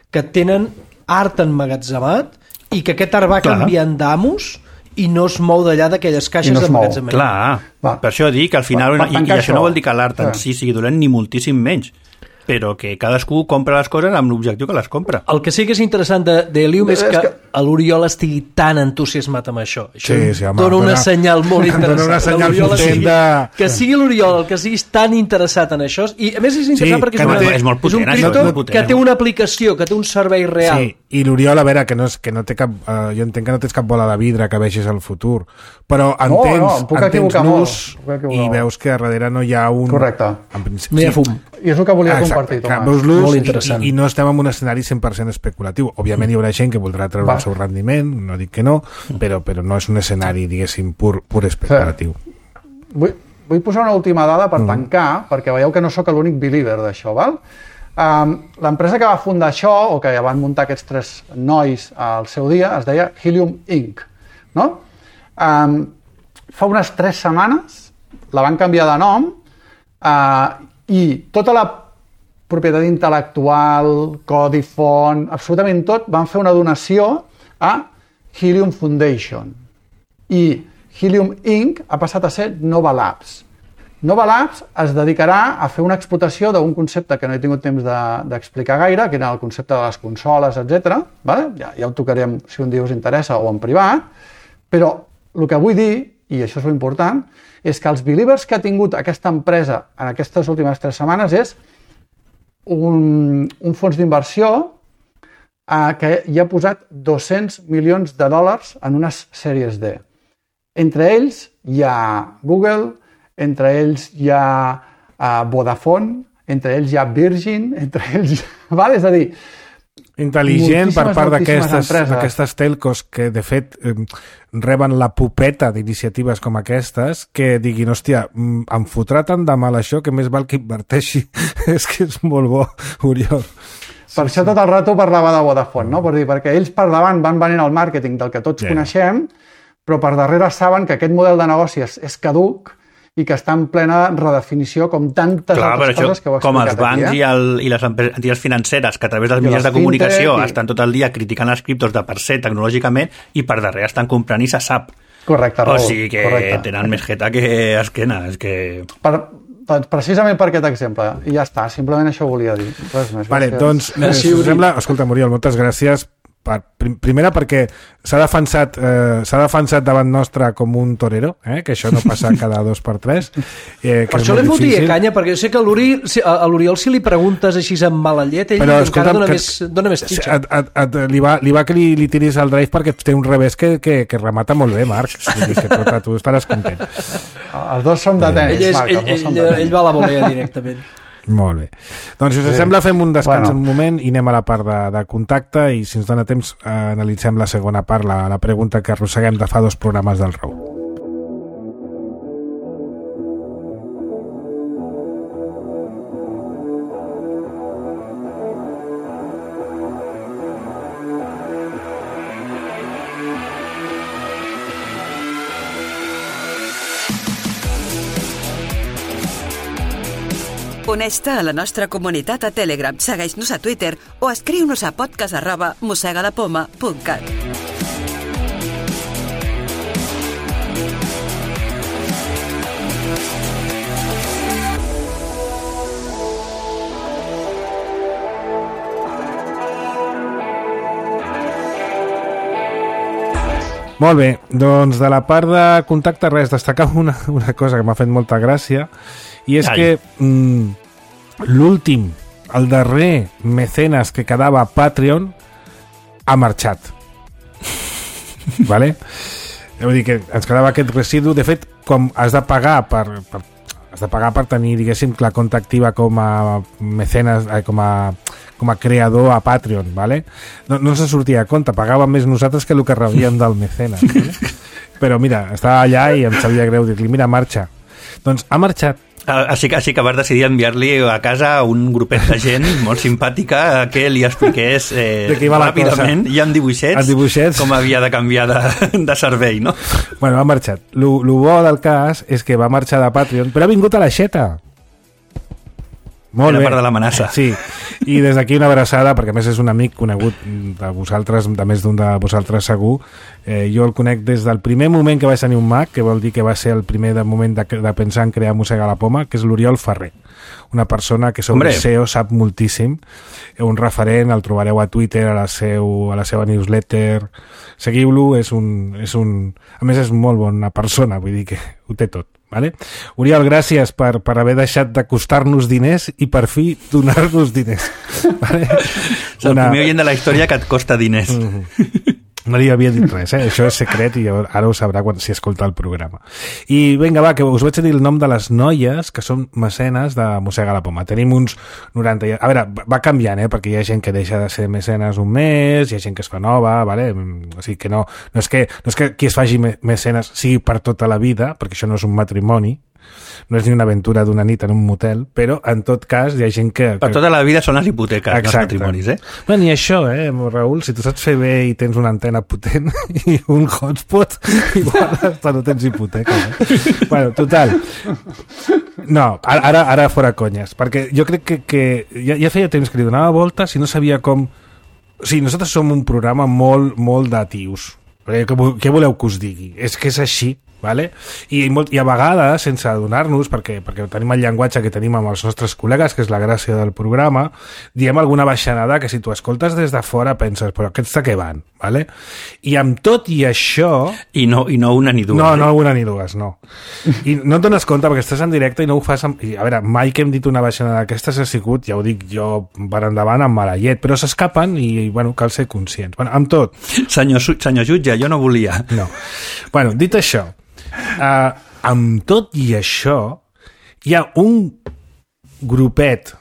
que tenen art emmagatzemat i que aquest art va clar. canviant d'amos i no es mou d'allà d'aquelles caixes no d'emmagatzemament. Clar, va. Per això dic que al final... Per, per i, I això no vol dir que l'art en si sigui dolent ni moltíssim menys, però que cadascú compra les coses amb l'objectiu que les compra. El que sí que és interessant d'Helium és que, que l'Oriol estigui tan entusiasmat amb això. Això sí, sí, home, dona una dona, senyal molt interessant. Dona una senyal potent sigui, de... Que sigui l'Oriol el que siguis tan interessat en això, i a més és interessant sí, perquè és, no una, té, és molt potent, és un cripto potent, que té una aplicació, que té un servei real. Sí, i l'Oriol, a veure, que no, és, que no té cap... Uh, jo entenc que no tens cap bola de vidre que vegis el futur, però entens, no, no, entens l'ús i veus que a darrere no hi ha un... Correcte. En principi, no hi ha fum. I és el que volia exacte, compartir, Tomàs. Veus l'ús molt interessant. I, i no estem en un escenari cent per cent especulatiu. Òbviament hi haurà gent que voldrà treure Va. el seu rendiment, no dic que no, però, però no és un escenari, diguéssim, pur, pur especulatiu. Sí. Vull, vull posar una última dada per mm. tancar, perquè veieu que no sóc l'únic believer d'això, val? Um, l'empresa que va fundar això, o que ja van muntar aquests tres nois al seu dia, es deia Helium incorporated. No? Um, fa unes tres setmanes la van canviar de nom uh, i tota la propietat intel·lectual, codi font, absolutament tot, van fer una donació a Helium Foundation. I Helium incorporated ha passat a ser Nova Labs. Nova Labs es dedicarà a fer una explotació d'un concepte que no he tingut temps d'explicar de, gaire, que era el concepte de les consoles, etcètera. Vale? Ja, ja ho tocarem si un dia us interessa o en privat, però el que vull dir, i això és important, és que els believers que ha tingut aquesta empresa en aquestes últimes tres setmanes és un, un fons d'inversió eh, que hi ha posat dos-cents milions de dòlars en unes sèries D. Entre ells hi ha Google, entre ells hi ha uh, Vodafone, entre ells hi ha Virgin, entre ells... Val? És a dir, intel·ligent per part d'aquestes telcos que, de fet, eh, reben la pupeta d'iniciatives com aquestes, que diguin, hòstia, em fotrà tant de mal això que més val que inverteixi. És que és molt bo, Oriol. Per sí, això tot el rato parlava de Vodafone, no? Per dir, perquè ells per davant van venint el màrqueting del que tots yeah. coneixem, però per darrere saben que aquest model de negoci és, és caduc i que està en plena redefinició com tantes Clar, altres coses que heu explicat com els bancs aquí, eh? i, el, i les entitats financeres que a través dels mitjans de comunicació i... estan tot el dia criticant els criptos de per ser tecnològicament i per darrere estan comprant i se sap. Correcte, Raül. O sigui que correcte. Tenen més jeta que esquena. És que... Per, precisament per aquest exemple. I ja està, simplement això volia dir. Res més. Vale, doncs, eh, si us sembla... Escolta, Muriel, moltes gràcies. Per, primera perquè s'ha defensat, eh, s'ha defensat davant nostre com un torero, eh, que això no passa cada dos per tres. Eh, que per això li fotia canya, perquè jo sé que a l'Oriol si li preguntes així amb mala llet, ell Però, encara dona, que, més, dona més xitxa. Et, et, et, li, va, li va que li, li tiris el drive perquè té un revés que, que, que remata molt bé, Marc. Que tu, tu estaràs content. Els dos som de tenis, ell, és, Marc. Ell, ell, ell, ell va a la volea directament. Molt bé. Doncs si us sí. sembla fem un descans bueno. un moment i anem a la part de, de contacte i si ens dona temps eh, analitzem la segona part, la, la pregunta que arrosseguem de fa dos programes del Raül. Uneix-te a la nostra comunitat a Telegram, segueix-nos a Twitter o escriu-nos a podcast arroba mossegalapoma punt cat. Molt bé, doncs de la part de contacte res, destacar una, una cosa que m'ha fet molta gràcia i és Ai. que mm, l'últim, el darrer mecenes que quedava a Patreon ha marxat. Vale? Vull dir que ens quedava aquest residu. De fet, com has de pagar per, per, has de pagar per tenir, diguéssim, la compta activa com a mecenes, eh, com a com a creador a Patreon, ¿vale? No, no se sortia a compte, pagàvem més nosaltres que el que rebíem del mecenes, ¿vale? Però mira, estava allà i em sabia greu dir-li, mira, marxa. Doncs ha marxat. Així que, així que vas decidir enviar-li a casa un grupet de gent molt simpàtica que li expliqués eh, ràpidament i amb dibuixets, dibuixets com havia de canviar de, de servei, no? Bueno, ha marxat. Lo, lo bo del cas és que va marxar de Patreon, però ha vingut a l'aixeta. Molt Era bé. part de l'amenaça. Sí, i des d'aquí una abraçada, perquè a més és un amic conegut de vosaltres, de més d'un de vosaltres segur. Eh, jo el conec des del primer moment que vaig tenir un Mac, que vol dir que va ser el primer de moment de, de pensar en crear Mossega la Poma, que és l'Oriol Ferrer. Una persona que sobre Hombre. S E O sap moltíssim, un referent, el trobareu a Twitter, a la, seu, a la seva newsletter, seguiu-lo, és un, és un... A més és molt bona persona, vull dir que ho té tot. Vale? Oriol, gràcies per, per haver deixat de costar-nos diners i per fi donar-nos diners. Vale? És el Una... primer oient de la història que et costa diners. Mm-hmm. No li havia dit res, eh? Això és secret i ara ho sabrà quan s'hi escolta el programa. I vinga, va, que us vaig dir el nom de les noies que són mecenes de Mossega la Poma. Tenim uns noranta... A veure, va canviant, eh? Perquè hi ha gent que deixa de ser mecenes un mes, hi ha gent que es fa nova, vale? O sigui que no, no, és que, no és que qui es faci mecenes sigui per tota la vida, perquè això no és un matrimoni, no és ni una aventura d'una nit en un motel, però en tot cas hi ha gent que... que... Per tota la vida són les hipoteques, Exacte. No els matrimonis, eh? Bueno, i això, eh, Raül, si tu saps fer bé i tens una antena potent i un hotspot, igual hasta no tens hipoteca. Eh? Bueno, total. No, ara, ara fora conyes, perquè jo crec que, que ja, ja feia temps que li donava voltes i no sabia com... O sigui, nosaltres som un programa molt, molt de tios. Què, què voleu que us digui? És que és així. Vale? I, molt, i a vegades, sense adonar-nos, perquè, perquè tenim el llenguatge que tenim amb els nostres col·legues, que és la gràcia del programa, diem alguna baixanada que si tu escoltes des de fora penses, però aquests de què van? Vale? I amb tot i això... I no, i no una ni dues. No, eh? no una ni dues, no. I no et dones compte perquè estàs en directe i no ho fas... Amb... I, a veure, mai que hem dit una baixanada d'aquestes ha sigut, ja ho dic jo, per endavant amb mala llet, però s'escapen i, bueno, cal ser conscients. Bueno, amb tot... Senyor, senyor jutge, jo no volia. No. Bueno, dit això, Uh, amb tot i això hi ha un grupet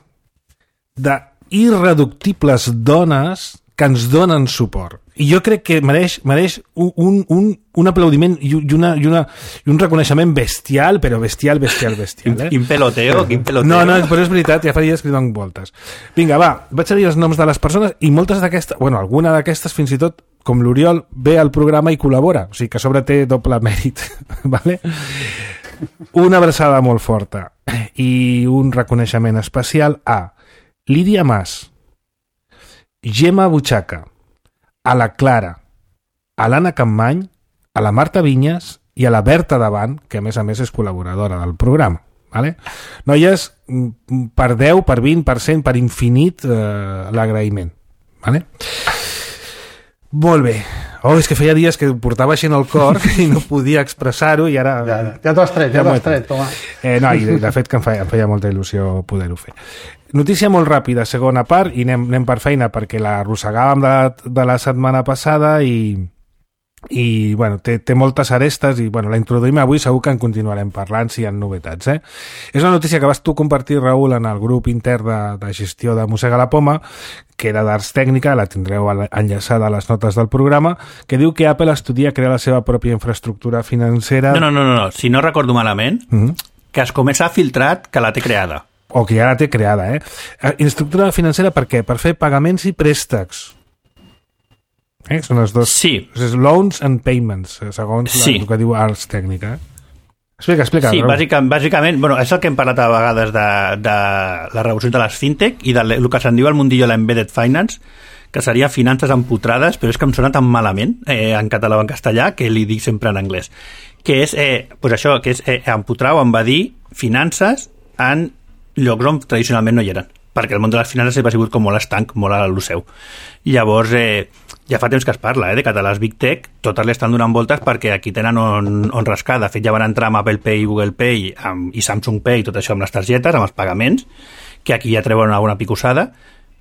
d'irreductibles dones que ens donen suport i jo crec que mereix, mereix un, un, un, un aplaudiment i, una, i, una, i un reconeixement bestial, però bestial, bestial, bestial eh? Quin peloteo, quin peloteo. No, no, però és veritat, ja fa dies que li dono voltes. Vinga, va, vaig a dir els noms de les persones i moltes d'aquestes, bueno, alguna d'aquestes fins i tot com l'Oriol ve al programa i col·labora, o sigui que a sobre té doble mèrit, vale? Una abraçada molt forta i un reconeixement especial a Lídia Mas, Gemma Butxaca, a la Clara, a l'Anna Campmany, a la Marta Vinyes i a la Berta Davant, que a més a més és col·laboradora del programa. Vale? Noies, per deu, per vint, per cent, per infinit eh, l'agraïment. Vale? Molt bé. Oh, és que feia dies que portava així en el cor i no podia expressar-ho i ara... Ja, ja t'ho has tret, ja, ja t'ho has tret, toma. Eh, no, i de, de fet que em feia, em feia molta il·lusió poder-ho fer. Notícia molt ràpida, segona part, i anem, anem per feina perquè la arrossegàvem de la, de la setmana passada i... i bueno, té, té moltes arestes i bueno, la introduïm avui, segur que en continuarem parlant si hi ha novetats. Eh? És una notícia que vas tu compartir, Raül, en el grup intern de, de gestió de Mossega la Poma, que era d'Arts Tècnica, la tindreu enllaçada a les notes del programa, que diu que Apple estudia crear la seva pròpia infraestructura financera... No, no, no, no, no. Si no recordo malament, mm-hmm. que es comença a filtrat que la té creada. O que ja la té creada, eh? Infraestructura financera per què? Per fer pagaments i préstecs. Eh? Són els dos... Sí. És loans and payments, segons sí. la, el que diu Arts Tècnica. Explica, explica. Sí, bàsicament, bàsicament bueno, és el que hem parlat a vegades de, de les revolucions de les fintech i del que se'n diu al mundillo l'embedded finance, que seria finances empotrades, però és que em sona tan malament eh, en català o en castellà que li dic sempre en anglès. Que és, eh, pues això, que és eh, empotrar o envadir finances en llocs on tradicionalment no hi eren, perquè el món de les finances ha sigut com molt estanc, molt a lo seu. Llavors, eh, ja fa temps que es parla, eh, de que a les Big Tech totes li estan donant voltes perquè aquí tenen on, on rascar. De fet, ja van entrar amb Apple Pay, Google Pay amb, i Samsung Pay, tot això amb les targetes, amb els pagaments, que aquí ja treuen alguna picossada,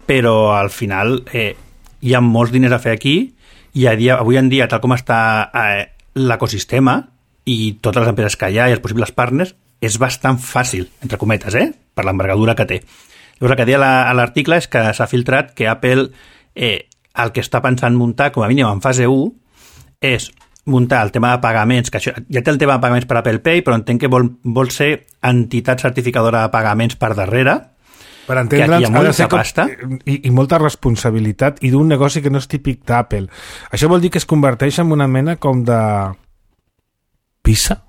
però al final eh, hi ha molts diners a fer aquí i a dia, avui en dia, tal com està eh, l'ecosistema i totes les empreses que hi ha i els possibles partners, és bastant fàcil, entre cometes, eh, per l'envergadura que té. Llavors, el que deia a l'article és que s'ha filtrat que Apple eh, el que està pensant muntar, com a mínim en fase u, és muntar el tema de pagaments, que això, ja té el tema de pagaments per Apple Pay, però entenc que vol, vol ser entitat certificadora de pagaments per darrere, per entendre'ns, ha de ser pasta. I, i molta responsabilitat i d'un negoci que no és típic d'Apple. Això vol dir que es converteix en una mena com de Visa?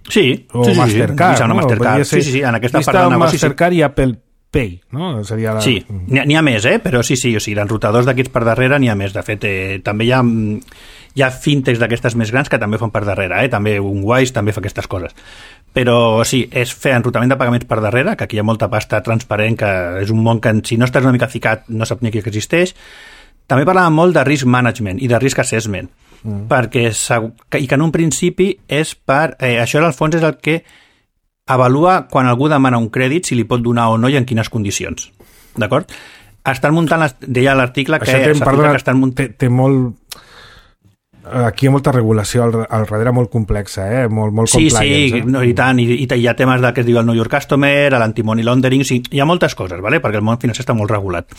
Sí, o sí, Mastercard, sí, sí, no? Mastercard. Sí, sí, sí, en aquesta part del negoci. Mastercard sí. i Apple Pay, no? Seria la... Sí, n'hi ha, n'hi ha més, eh? Però sí, sí, o sigui, d'enrutadors d'aquests per darrere n'hi ha més. De fet, eh, també hi ha, hi ha fintechs d'aquestes més grans que també fan per darrere, eh? També un Wise també fa aquestes coses. Però sí, és fer enrutament de pagaments per darrere, que aquí hi ha molta pasta transparent, que és un món que si no estàs una mica ficat no saps ni que existeix. També parlàvem molt de risk management i de risk assessment, mm. perquè, i que en un principi és per... Eh, això al fons és el que avalua quan algú demana un crèdit si li pot donar o no i en quines condicions. D'acord? Estan muntant, les, deia l'article que... Té, perdona, que estan munt... té, té molt... Aquí hi ha molta regulació al, al darrere molt complexa, eh? molt, molt sí, compliance. Sí, eh? no, i tant, i, i hi ha temes de, que es diu el Know Your Customer, l'anti-money laundering, sí, hi ha moltes coses, ¿vale? Perquè el món financer està molt regulat.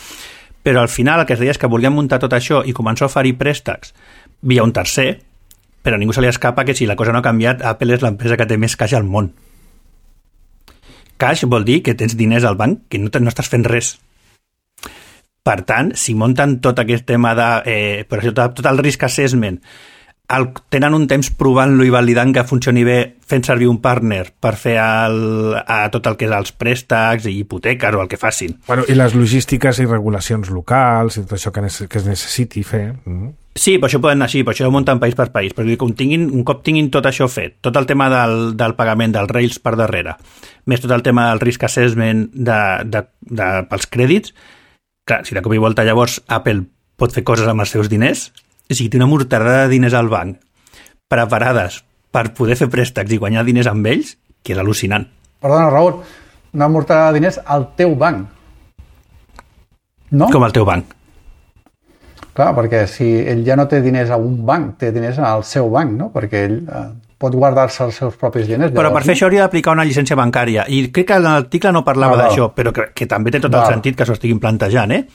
Però al final el que es deia és que volien muntar tot això i començar a oferir préstecs via un tercer, però a ningú se li escapa que si la cosa no ha canviat, Apple és l'empresa que té més caix al món. Cash vol dir que tens diners al banc, que no, te, no estàs fent res. Per tant, si munten tot aquest tema de... Eh, per això, tot, tot el risk assessment, el, tenen un temps provant-lo i validant que funcioni bé fent servir un partner per fer el, a tot el que és els préstecs i hipoteques o el que facin. Bueno, i les logístiques i regulacions locals i tot això que, nece- que es necessiti fer. Mm. Sí, per això poden anar així, per això ho munten país per país, però un, tinguin, un cop tinguin tot això fet, tot el tema del, del pagament, dels rails per darrere, més tot el tema del risk assessment de, de, de, pels crèdits, clar, si de cop i volta llavors Apple pot fer coses amb els seus diners, o sigui, té una morterada de diners al banc preparades per poder fer préstecs i guanyar diners amb ells, que és al·lucinant. Perdona, Raül, una morterada de diners al teu banc. No? Com al teu banc. Clar, perquè si ell ja no té diners a un banc, té diners al seu banc, no? Perquè ell eh, pot guardar-se els seus propis diners. Però per fer això hauria d'aplicar una llicència bancària. I crec que l'article no parlava ah, d'això, però que, que també té tot el ah. sentit que s'ho estiguin plantejant, eh?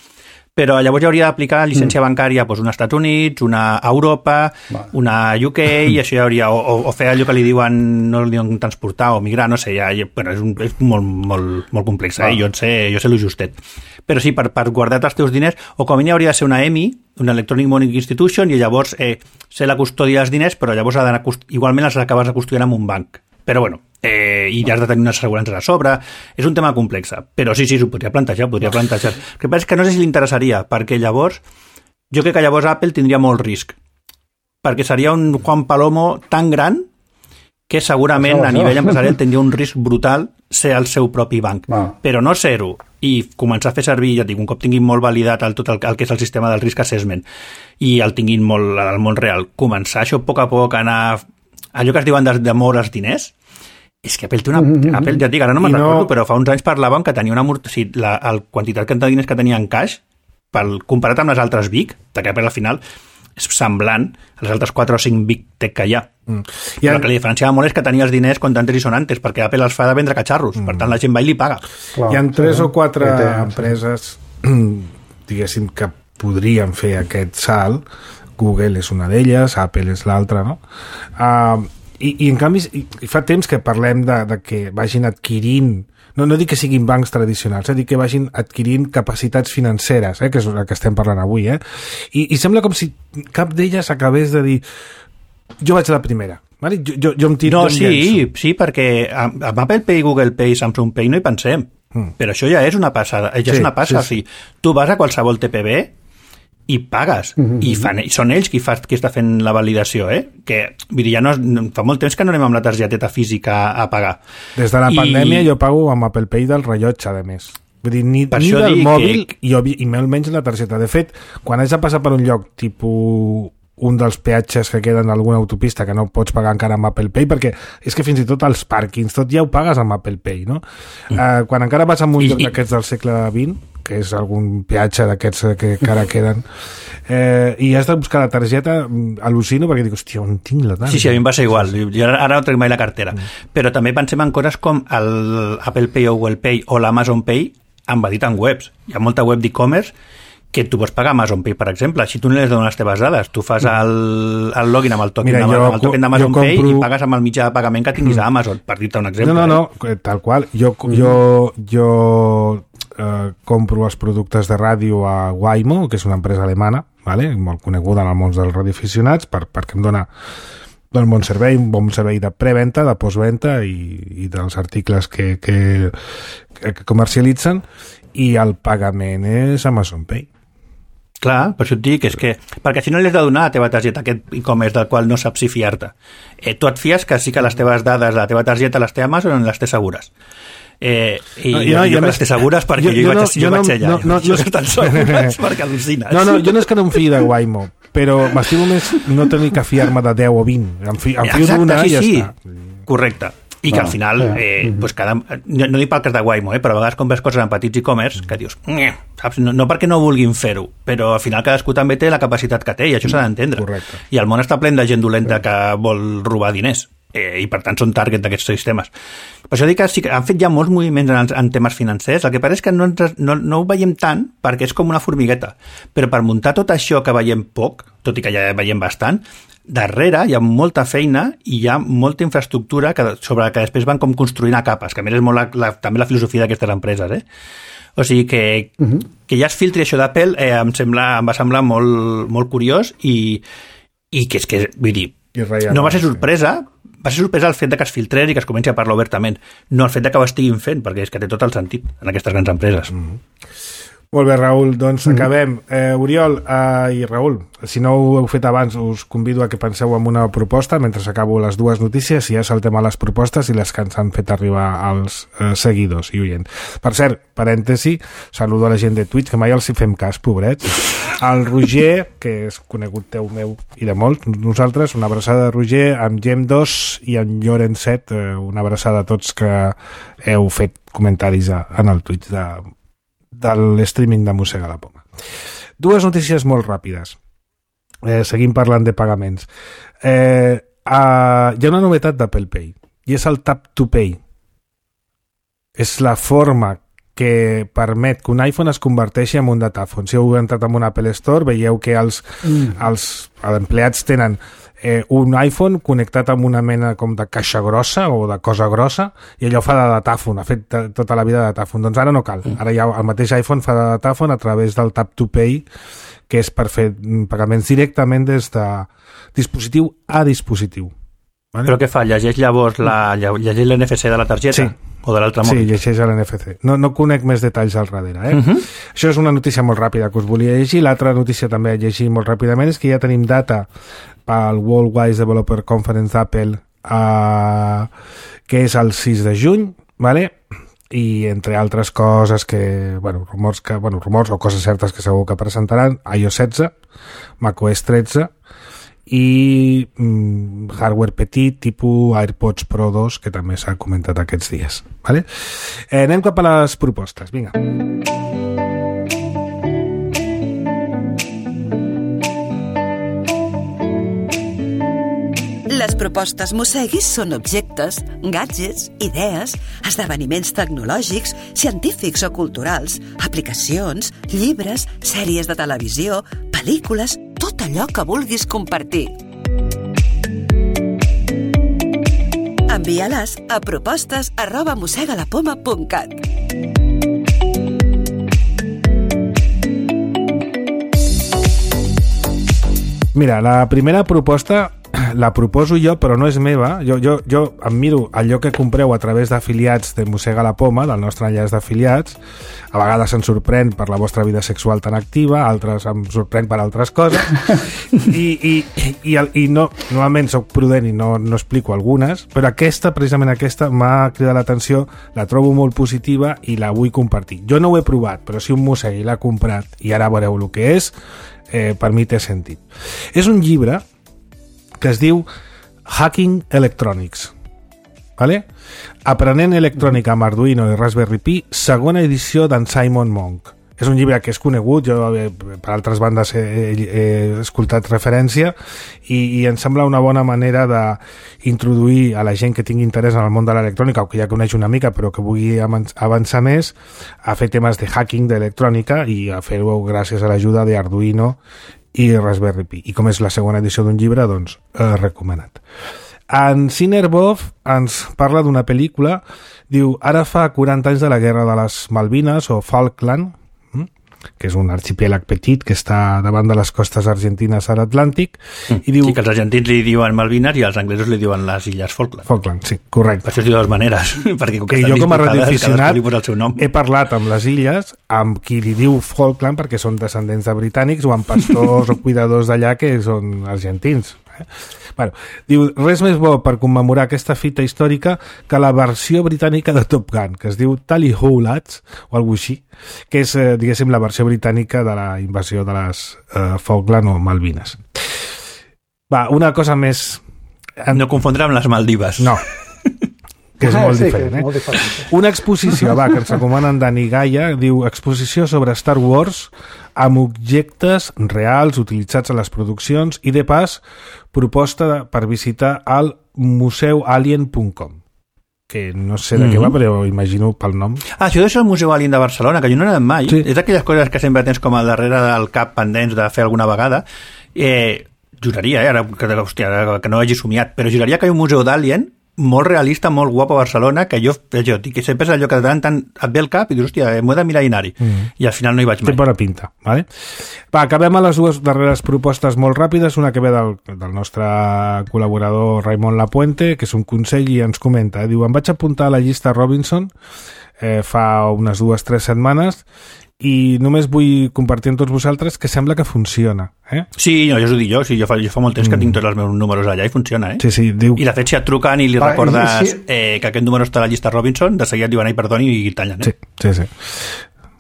Però llavors hauria d'aplicar llicència mm. bancària doncs, una als Estats Units, una a Europa, Va. una a U K, i això ja hauria... O, o fer allò que li diuen, no li diuen transportar o migrar, no sé, ja, ja bueno, és, un, és molt, molt, molt complex, eh? Jo sé, jo sé lo justet. Però sí, per, per guardar els teus diners, o com a mínim hauria de ser una E M I, una Electronic Money Institution, i llavors eh, ser la custòdia dels diners, però llavors ha d'anar, igualment els acabes de custodiar en un banc. Però bueno, eh, i ja has de tenir unes assegurances a sobre, és un tema complex, però sí, sí, s'ho podria plantejar, podria plantejar. El que passa és que no sé si li interessaria, perquè llavors, jo crec que llavors Apple tindria molt risc, perquè seria un Juan Palomo tan gran que segurament a nivell empresarial tindria un risc brutal ser el seu propi banc, ah. però no ser-ho i començar a fer servir, ja dic, un cop tinguin molt validat el, tot el, el que és el sistema del risk assessment i el tinguin molt al món real, començar això a poc a poc a anar, allò que es diuen de, de moure els diners, és que Apple té una... Mm-hmm. Apple, ja et dic, ara no me'n no... recordo, però fa uns anys parlàvem que tenia una... O sigui, la, la quantitat de diners que tenia en caix, pel, comparat amb les altres Big, perquè Apple al final és semblant a les altres quatre o cinc Big Tech que hi ha. Mm. I el... el que li diferenciava molt és que tenia els diners contantes i sonantes, perquè Apple els fa de vendre catxarros, mm. per tant la gent va i li paga. Clar, hi ha tres sí, o quatre sí, empreses, diguéssim, que podrien fer aquest salt. Google és una d'elles, Apple és l'altra, no? Uh, i, I en canvi, i, i fa temps que parlem de, de que vagin adquirint, no, no dic que siguin bancs tradicionals, eh, dic que vagin adquirint capacitats financeres, eh, que és el que estem parlant avui, eh? I, i sembla com si cap d'elles acabés de dir jo vaig a la primera, vale? jo, jo, jo em tiro... No, sí, sí, perquè amb Apple Pay, Google Pay, Samsung Pay no hi pensem, mm. però això ja és una passada, ja sí, és una passa, sí, sí. O sigui, tu vas a qualsevol T P B i pagues, mm-hmm. I, fan, i són ells qui, fa, qui està fent la validació, eh? Que vull dir, ja no, fa molt temps que no anem amb la targeteta física a, a pagar. Des de la I... pandèmia jo pago amb Apple Pay del rellotge, a més. Vull dir, ni, ni del mòbil que... i, i molt menys la targeta. De fet, quan haig de passar per un lloc tipus un dels peatges que queden d'alguna autopista que no pots pagar encara amb Apple Pay, perquè és que fins i tot els pàrquings, tot ja ho pagues amb Apple Pay, no? Mm. Uh, quan encara vas a un lloc d'aquests del segle vint, que és algun peatge d'aquests que encara queden, eh, i has de buscar la targeta, al·lucino perquè dic, hòstia, on tinc la targeta? Sí, sí, a mi em va ser igual, jo ara no trec mai la cartera, mm. però també pensem en coses com el Apple Pay o Google Pay o l'Amazon Pay embedit en webs. Hi ha molta web d'e-commerce que tu pots pagar Amazon Pay, per exemple. Si tu no les dones les teves dades, tu fas el, el login amb el token, Mira, amb el token d'Amazon compro... Pay i pagues amb el mitjà de pagament que tinguis a Amazon, per dir-te un exemple. No, no, no, tal qual. Jo, jo, jo eh, compro els productes de ràdio a Waymo, que és una empresa alemana, vale? Molt coneguda en el món dels radioaficionats, per, perquè em dona del bon servei, un bon servei de preventa, de postventa i, i dels articles que, que, que comercialitzen, i el pagament és Amazon Pay. Clar, per això et dic, és que perquè si no li has de donar a la teva targeta aquest e-commerce del qual no saps si fiar-te. Eh, tu et fies que sí que les teves dades de la teva targeta les té Amazon i les té segures. Eh, i no, jo, no, jo, jo que les té segures perquè jo, jo, jo, vaig, no, jo, jo vaig no, allà. No, no, jo no, estan segures perquè al·lucines. No, no, jo no és que no em fiï de Waymo, però m'estimo més no tenir que fiar-me de deu o vint. Em fio, em fio d'una sí, i ja sí. està. Correcte. I que al final, eh, pues cada, no, no dic pel cas de Waymo, eh, però a vegades compres coses en petits e-commerce que dius, saps? No, no perquè no vulguin fer-ho, però al final cadascú també té la capacitat que té i això s'ha d'entendre. Correcte. I el món està ple de gent dolenta que vol robar diners. Eh, i per tant són target d'aquests sistemes. Per això dic que sí que han fet ja molts moviments en, en temes financers, el que passa és que no, no, no ho veiem tant perquè és com una formigueta, però per muntar tot això que veiem poc, tot i que ja veiem bastant, darrere hi ha molta feina i hi ha molta infraestructura que, sobre la que després van com construint a capes, que a més és molt la, la, també la filosofia d'aquestes empreses, eh? O sigui que, uh-huh. que ja es filtri això d'Apple eh, em, sembla, em va semblar molt, molt curiós i, i que és que, vull dir, no va ser sorpresa, va ser sorpresa el fet de que es filtrés i que es comenci a parlar obertament, no el fet de que ho estiguin fent, perquè és que té tot el sentit en aquestes grans empreses. Mm-hmm. Molt bé, Raül, doncs mm-hmm. acabem. Eh, Oriol eh, i Raül, si no ho heu fet abans, us convido a que penseu en una proposta mentre acabo les dues notícies i ja saltem a les propostes i les que ens han fet arribar als eh, seguidors i oients. Per cert, parèntesi, saludo a la gent de Twitch, que mai els hi fem cas, pobrets. El Roger, que és conegut teu meu i de molts, nosaltres, una abraçada de Roger, amb Gem dos i en Llorencet, eh, una abraçada a tots que heu fet comentaris a, en el Twitch de, de l'streaming de Mossega la Poma. Dues notícies molt ràpides. Eh, seguim parlant de pagaments. Eh, eh, hi ha una novetat d'Apple Pay i és el Tap to Pay. És la forma que permet que un iPhone es converteixi en un datàfon. Si heu entrat en un Apple Store, veieu que els, mm. els, els empleats tenen eh, un iPhone connectat amb una mena com de caixa grossa o de cosa grossa i allò fa de datàfon, ha fet t- tota la vida de datàfon. Doncs ara no cal. Ara ja el mateix iPhone fa de datàfon a través del Tap to Pay, que és per fer pagaments directament des de dispositiu a dispositiu. Vale? Però què fa? Llegeix llavors la, llegeix l'N F C de la targeta? Sí. O de l'altre mòbil? Sí, llegeix l'N F C. No, no conec més detalls al darrere. Eh? Uh-huh. Això és una notícia molt ràpida que us volia llegir. L'altra notícia també a llegir molt ràpidament és que ja tenim data pel Worldwide Developer Conference d'Apple, uh, que és el sis de juny, vale? I entre altres coses que, bueno, rumors que, bueno, rumors o coses certes que segur que presentaran, i O S setze, macOS tretze, i mm, hardware petit tipus AirPods Pro dos, que també s'ha comentat aquests dies. Vale? Eh, anem cap a les propostes. Vinga. Les propostes Mosseguis són objectes, gadgets, idees, esdeveniments tecnològics, científics o culturals, aplicacions, llibres, sèries de televisió, pel·lícules, tot allò que vulguis compartir. Envia-les a propostes arroba mossegalapoma punt cat. Mira, la primera proposta la proposo jo, però no és meva. Jo, jo, jo em miro allò que compreu a través d'afiliats de Mossega la Poma, del nostre enllaç d'afiliats. A vegades em sorprèn per la vostra vida sexual tan activa, altres em sorprèn per altres coses. I, i, i, i no, normalment soc prudent i no, no explico algunes, però aquesta, precisament aquesta, m'ha cridat l'atenció, la trobo molt positiva i la vull compartir. Jo no ho he provat, però si un mossegui l'ha comprat i ara veureu el que és, eh, per mi té sentit. És un llibre que es diu Hacking Electronics, vale? Aprenent electrònica amb Arduino i Raspberry Pi, segona edició d'en Simon Monk. És un llibre que és conegut, jo per altres bandes he, he, he escoltat referència i, i em sembla una bona manera d'introduir a la gent que tingui interès en el món de l'electrònica o que ja coneix una mica però que vulgui avançar més a fer temes de hacking d'electrònica i a fer-ho gràcies a l'ajuda d'Arduino i Raspberry Pi. I com és la segona edició d'un llibre, doncs, eh, recomanat. En Cinerbov ens parla d'una pel·lícula, diu, ara fa quaranta anys de la guerra de les Malvines o Falkland, hm? que és un arxipèlag petit que està davant de les costes argentines a l'Atlàntic. Mm. I diu... Sí, que els argentins li diuen Malvines i els anglesos li diuen les illes Falkland. Falkland, sí, correcte. Per això es diu de dues maneres. Perquè com que, que jo com a radioaficionat he he parlat amb les illes, amb qui li diu Falkland perquè són descendents de britànics o amb pastors o cuidadors d'allà que són argentins. Eh? Bueno, diu, res més bo per commemorar aquesta fita històrica que la versió britànica de Top Gun, que es diu Tally Ho Lads, o alguna així, que és, eh, diguéssim, la versió britànica de la invasió de les eh, Falkland o Malvines. Va, una cosa més... No confondre amb les Maldives. No, que és ah, molt sí, diferent. és Eh? molt diferent. Una exposició, va, que ens recomanen Dani Gaia, diu exposició sobre Star Wars amb objectes reals utilitzats a les produccions i, de pas, proposta per visitar al museu alien punt com, que no sé de mm-hmm. què va, però imagino pel nom. Ah, això és el Museu Alien de Barcelona, que jo no he anat mai. Sí. És d'aquelles coses que sempre tens com al darrere del cap pendents de fer alguna vegada. Eh, juraria, eh, ara, que, hòstia, que no hagi somiat, però juraria que hi ha un museu d'Alien molt realista, molt guapo a Barcelona, que jo, jo dic que sempre és allò que de tant, tant et ve el cap i dius, hòstia, m'ho he de mirar i anar-hi. Mm. I al final no hi vaig mai. Té bona pinta. Vale? Va, acabem a les dues darreres propostes molt ràpides, una que ve del, del nostre col·laborador Raimon Lapuente, que és un consell i ens comenta, eh? Diu, em vaig apuntar a la llista Robinson eh, fa unes dues o tres setmanes i només vull compartir amb tots vosaltres que sembla que funciona. Eh? Sí, no, jo us ho dic jo, sí, jo, fa, jo fa molt temps que mm. tinc tots els meus números allà i funciona, eh? Sí, sí, diu... I de fet, si et truquen i li Va, recordes sí. eh, que aquest número està a la llista Robinson, de seguida et diuen, ai, perdoni, i tallen, eh? Sí, sí, sí.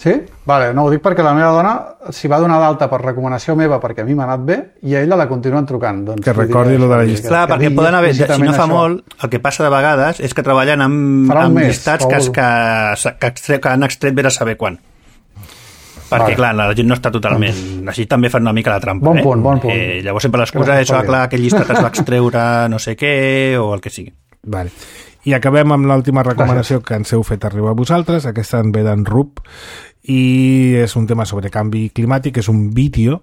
Sí? Vale, no, ho dic perquè la meva dona s'hi va donar d'alta per recomanació meva perquè a mi m'ha anat bé i a ella la continuen trucant. Doncs, que recordi lo de la llista. Clar, perquè digui, poden haver, si no fa això. Molt, el que passa de vegades és que treballen amb, amb mes, llistats que, que, que, que, que han extret bé a saber quan. Perquè, vale. Clar, la gent no està totalment... Així també fan una mica la trampa, bon eh? Punt, bon punt. Eh, llavors sempre l'excusa és, ah, clar, aquell llistat es va extreure no sé què, o el que sigui. Vale. I acabem amb l'última recomanació que ens heu fet arribar a vosaltres. Aquesta en ve d'en Rup, i és un tema sobre canvi climàtic, és un vídeo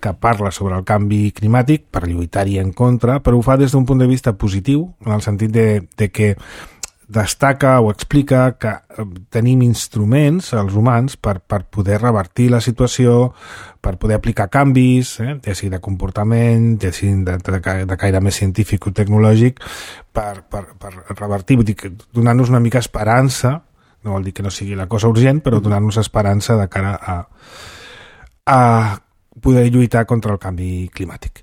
que parla sobre el canvi climàtic per lluitar-hi en contra, però ho fa des d'un punt de vista positiu, en el sentit de, de que destaca o explica que tenim instruments, els humans, per, per poder revertir la situació, per poder aplicar canvis, eh, ja sigui de comportament, ja sigui de, de, de caire més científic o tecnològic, per, per, per revertir, vull dir, donar-nos una mica esperança, no vol dir que no sigui la cosa urgent, però donar-nos esperança de cara a, a poder lluitar contra el canvi climàtic.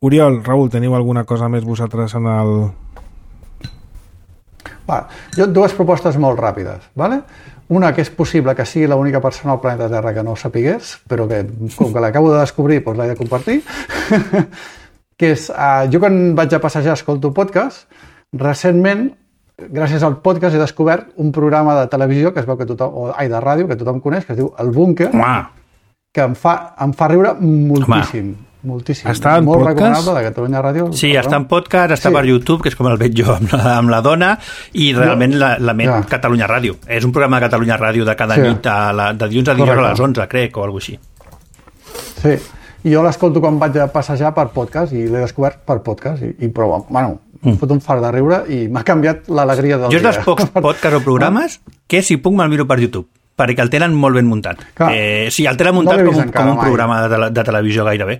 Oriol, Raül, teniu alguna cosa més vosaltres en el... Va, jo dues propostes molt ràpides, ¿vale? Una que és possible que sigui l'única persona al planeta Terra que no ho sapigués, però que com que l'acabo de descobrir doncs l'he de compartir, que és, uh, jo quan vaig a passejar escolto podcast, recentment, gràcies al podcast he descobert un programa de televisió que es veu que tothom, o ai, de ràdio, que tothom coneix, que es diu El Búnquer, que em fa, em fa riure moltíssim. Home. Moltíssim. Està en molt podcast? recomanable de Catalunya Ràdio. Sí, està en podcast, està sí. per YouTube, que és com el veig jo amb la, amb la dona, i realment la, la ment ja. Catalunya Ràdio. És un programa de Catalunya Ràdio de cada sí. nit, a la, de dilluns a dilluns Correcte. A les onze, crec, o alguna cosa així. Sí, i jo l'escolto quan vaig a passejar per podcast, i l'he descobert per podcast, i, i prou, bueno, mm. fot un fart de riure, i m'ha canviat l'alegria del jo dia. Jo és dels pocs podcasts o programes que, si puc, me'l miro per YouTube, perquè el tenen molt ben muntat. Clar, eh, sí, el tenen muntat no com, un, com un programa de, de televisió gairebé.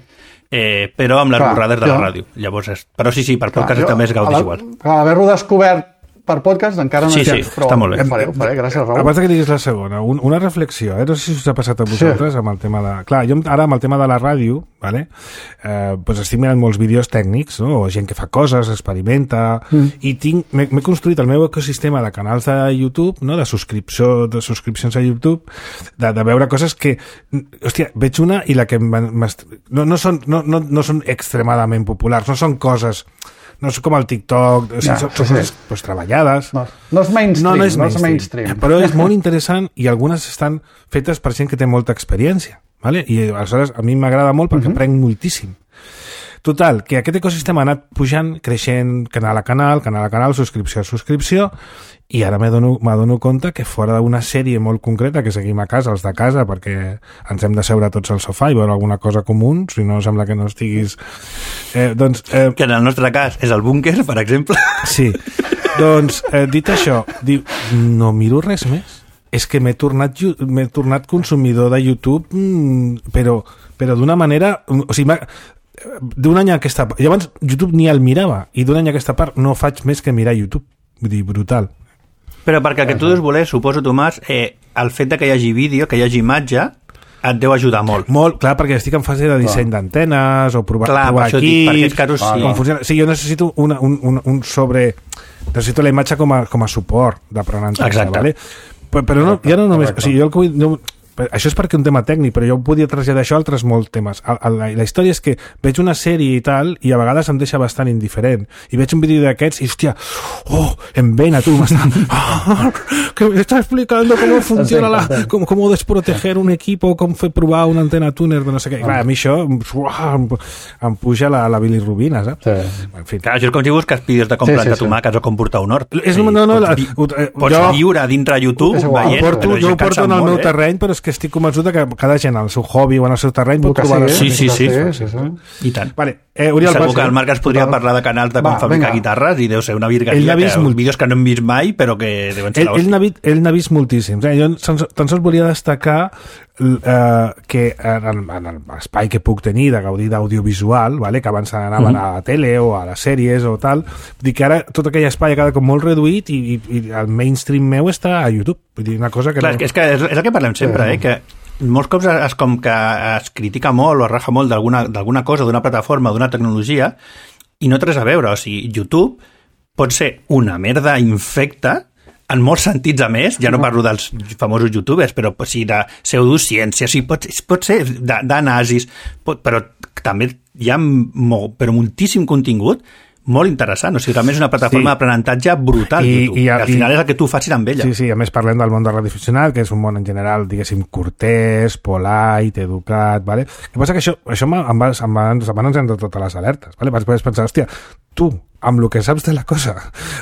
Eh, però amb les Clar, borrades de jo... la ràdio. Llavors és... Però sí, sí, per Clar, podcast jo, també és gaudis igual. Haver-lo descobert per podcast encara no sí, hi sí, però està molt bé. Ho faré, ho faré, gràcies, Raül. Abans que diguis la segona, un, una reflexió, eh? No sé si us ha passat a vosaltres sí. amb el tema de... Clar, jo ara amb el tema de la ràdio, vale? eh, doncs estic mirant molts vídeos tècnics, no? O gent que fa coses, experimenta, mm. i tinc, m'he construït el meu ecosistema de canals de YouTube, no? de subscripció, de subscripcions a YouTube, de, de veure coses que... Hòstia, veig una i la que... No, no, són, no, no, no són extremadament populars, no són coses... No és com el TikTok, o sigui, ja, són sí, coses sí. pues, treballades. No, no és mainstream, no, no és mainstream, no és mainstream. Però és molt interessant i algunes estan fetes per gent que té molta experiència. ¿Vale? I aleshores a mi m'agrada molt perquè uh-huh. aprenc moltíssim. Total, que aquest ecosistema ha anat pujant, creixent, canal a canal, canal a canal, subscripció a subscripció, i ara m'adono compte que fora d'una sèrie molt concreta que seguim a casa, els de casa, perquè ens hem de seure tots al sofà i veure alguna cosa comú, si no sembla que no estiguis... Eh, doncs, eh, que en el nostre cas és el búnquer, per exemple. Sí. Doncs, eh, dit això, diu, no miro res més. és que m'he tornat, m'he tornat consumidor de YouTube, mm, però, però d'una manera... O sigui, d'un any a aquesta part... Jo abans YouTube ni el mirava, i d'un any a aquesta part no faig més que mirar YouTube. Vull dir, brutal. Però perquè el que tu deus voler, suposo, Tomàs, eh, el fet de que hi hagi vídeo, que hi hagi imatge, et deu ajudar molt. Molt, clar, perquè estic en fase de disseny clar. d'antenes o provar, clar, provar per equips, per aquests casos sí. Com funciona. Sí, jo necessito una, un, un, un sobre... Necessito la imatge com a, com a suport d'aprenentatge. Exacte. Vale? Però, però no, ja no només... O sigui, jo el que vull... No, això és perquè un tema tècnic, però jo podia traslladar això a altres molts temes. A, a la, la història és que veig una sèrie i tal, i a vegades em deixa bastant indiferent. I veig un vídeo d'aquests i, hòstia, oh, en vena, tu, m'està... Oh, que m'està explicant com funciona la... Com, com desproteger un equip o com fer provar una antena tuner de no sé què. I, clar, a mi això uah, em, em puja la, la bilirrubina, saps? Sí. En fi. Clar, això és com si busques vídeos de com sí, plantar sí, sí. tomàquets o com portar un hort. És, no, no, la, pots, pots jo, viure dintre YouTube veient, porto, jo ho porto en el meu eh? terreny, però és que estic convençut que cada gent al seu hobby o en el seu terreny pot trobar... Sí, sí, sí, sí. sí, sí. I tant. Vale. Eh, Oriol, segur que el Marc es podria parlar de canals de com Va, fabricar venga. guitarres i deu ser una virgueria, que, molt... vídeos que no hem vist mai, però que deuen ser ell, ell, ell n'ha vist moltíssims. Eh? Jo tan sols volia destacar eh, que en, en l'espai que puc tenir de gaudir d'audiovisual, vale? Que abans anaven mm-hmm. a la tele o a les sèries o tal, dir que ara tot aquell espai ha quedat com molt reduït i, i, i el mainstream meu està a YouTube. Vull dir, una cosa que Clar, no... és, que és, és el que parlem sempre, sí. eh? que molts cops es, com que es critica molt o es raja molt d'alguna cosa, d'una plataforma, d'una tecnologia, i no té res a veure. O sigui, YouTube pot ser una merda infecta en molts sentits a més, ja no parlo dels famosos youtubers, però o sigui, de pseudociència, o sigui, pot, pot ser de, de nazis, pot, però també hi ha molt, però moltíssim contingut molt interessant, o sigui, realment és una plataforma sí. d'aprenentatge brutal, I, YouTube, i, a, que al final i, és el que tu facis amb ella. Sí, sí, a més parlem del món de radioaficionat, que és un món en general, diguéssim, cortès, polite, educat, vale? El que passa que això, això em va, em va, em va encendre totes les alertes, vale? Vas pensar, hòstia, tu, amb el que saps de la cosa,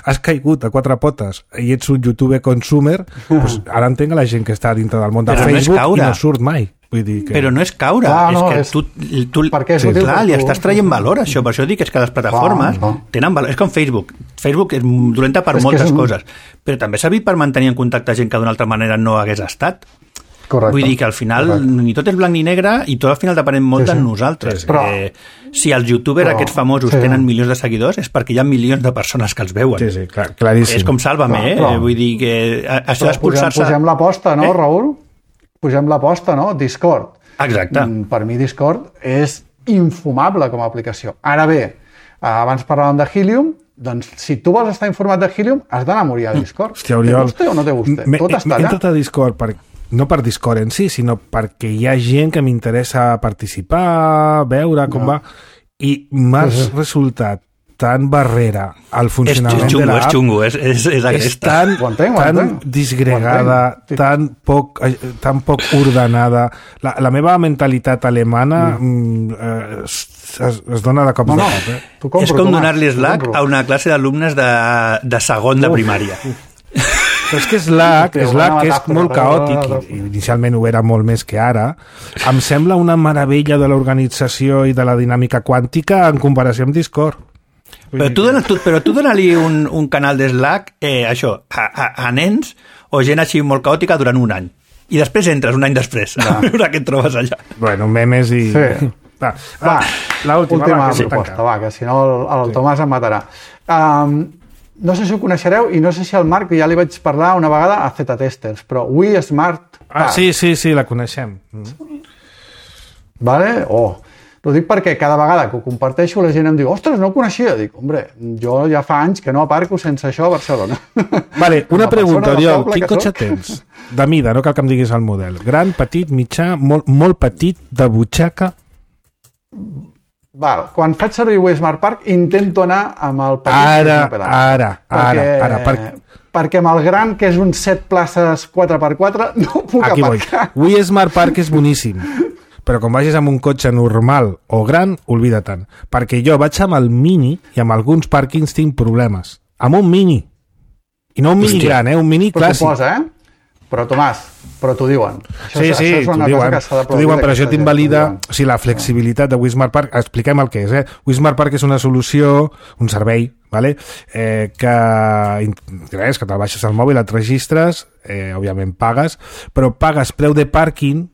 has caigut a quatre potes i ets un youtuber consumer, doncs ara entenc la gent que està dintre del món de Però Facebook no i no surt mai. Vull dir que... Però no és caure, clar, és no, que és... tu, tu és sí, clar, li estàs traient valor a això, per això dic és que les plataformes clar, no. tenen valor, és com Facebook Facebook és dolenta per és moltes un... coses, però també s'ha vist per mantenir en contacte gent que d'una altra manera no hagués estat. Correcte. Vull dir que al final Correcte. ni tot és blanc ni negre i tot al final depenem molt sí, sí. de nosaltres. Sí, sí. Però, eh, si els youtubers però, aquests famosos sí. tenen milions de seguidors és perquè hi ha milions de persones que els veuen. Sí, sí, clar, claríssim. És com Sálvame, eh? Però, Vull dir que això d'expulsar-se... Posem, posem l'aposta, no, eh? Raül? Posem l'aposta, no? Discord. Exacte. Per mi Discord és infumable com a aplicació. Ara bé, abans parlàvem de Helium, doncs si tu vols estar informat de Helium has d'anar a morir a Discord. Hòstia, Oriol, te guste o no te guste? Me, Tot està allà. He entrat a Discord per, no per Discord en si, sinó perquè hi ha gent que m'interessa participar, veure com no. va, i m'ha sí, sí. resultat tan barrera al funcionament és xungo, de l'app, és xungo, és, és, és, és tan, entenc, tan disgregada, tan poc, tan poc ordenada. La, la meva mentalitat alemana mm. eh, es, es, es dona de cops no, de cap. Eh? Compro, és com donar-li Slack a una classe d'alumnes de, de segon de primària. Però és que Slack, Slack que és molt caòtic, i inicialment ho era molt més que ara, em sembla una meravella de l'organització i de la dinàmica quàntica en comparació amb Discord. Però tu, dona, tu, però tu dona-li un, un canal de Slack eh, això, a, a, a nens o gent així molt caòtica durant un any. I després entres un any després no. a veure què et trobes allà. Bueno, memes i... Sí. Va, va, l'última, última va, que proposta, va, que si no el, el sí. Tomàs em matarà. Um, no sé si ho coneixereu i no sé si el Marc, ja li vaig parlar una vegada a Z-Testers, però We Smart Park. Ah, sí, sí, sí, la coneixem. Vale? Oh. Ho dic perquè cada vegada que ho comparteixo la gent em diu, ostres, no ho coneixia. Dic, hombre, jo ja fa anys que no aparco sense això a Barcelona. Vale, una pregunta, Oriol, quin cotxe tens? De mida, no cal que em diguis el model. Gran, petit, mitjà, molt, molt petit, de butxaca? Val, quan faig servir We Smart Park intento anar amb el petit. Ara, ara, ara, ara. Per... perquè amb el gran, que és un set places quatre per quatre, no puc Aquí aparcar. Voy. We Smart Park és boníssim. Però quan vagis amb un cotxe normal o gran, oblida tant. Perquè jo vaig amb el Mini i amb alguns pàrquings tinc problemes. Amb un Mini. I no un Mini Hòstia. gran, eh? Un Mini clàssic. Posa, eh? Però, Tomàs, però t'ho diuen. Això, sí, sí, això és una t'ho cosa diuen, que s'ha t'ho diuen, però això t'invalida o sigui, la flexibilitat de Wismar Park. Expliquem el que és. Eh? Wismar Park és una solució, un servei, vale? eh, que, res, que te'l baixes al mòbil, et registres, eh, òbviament pagues, però pagues preu de pàrquing,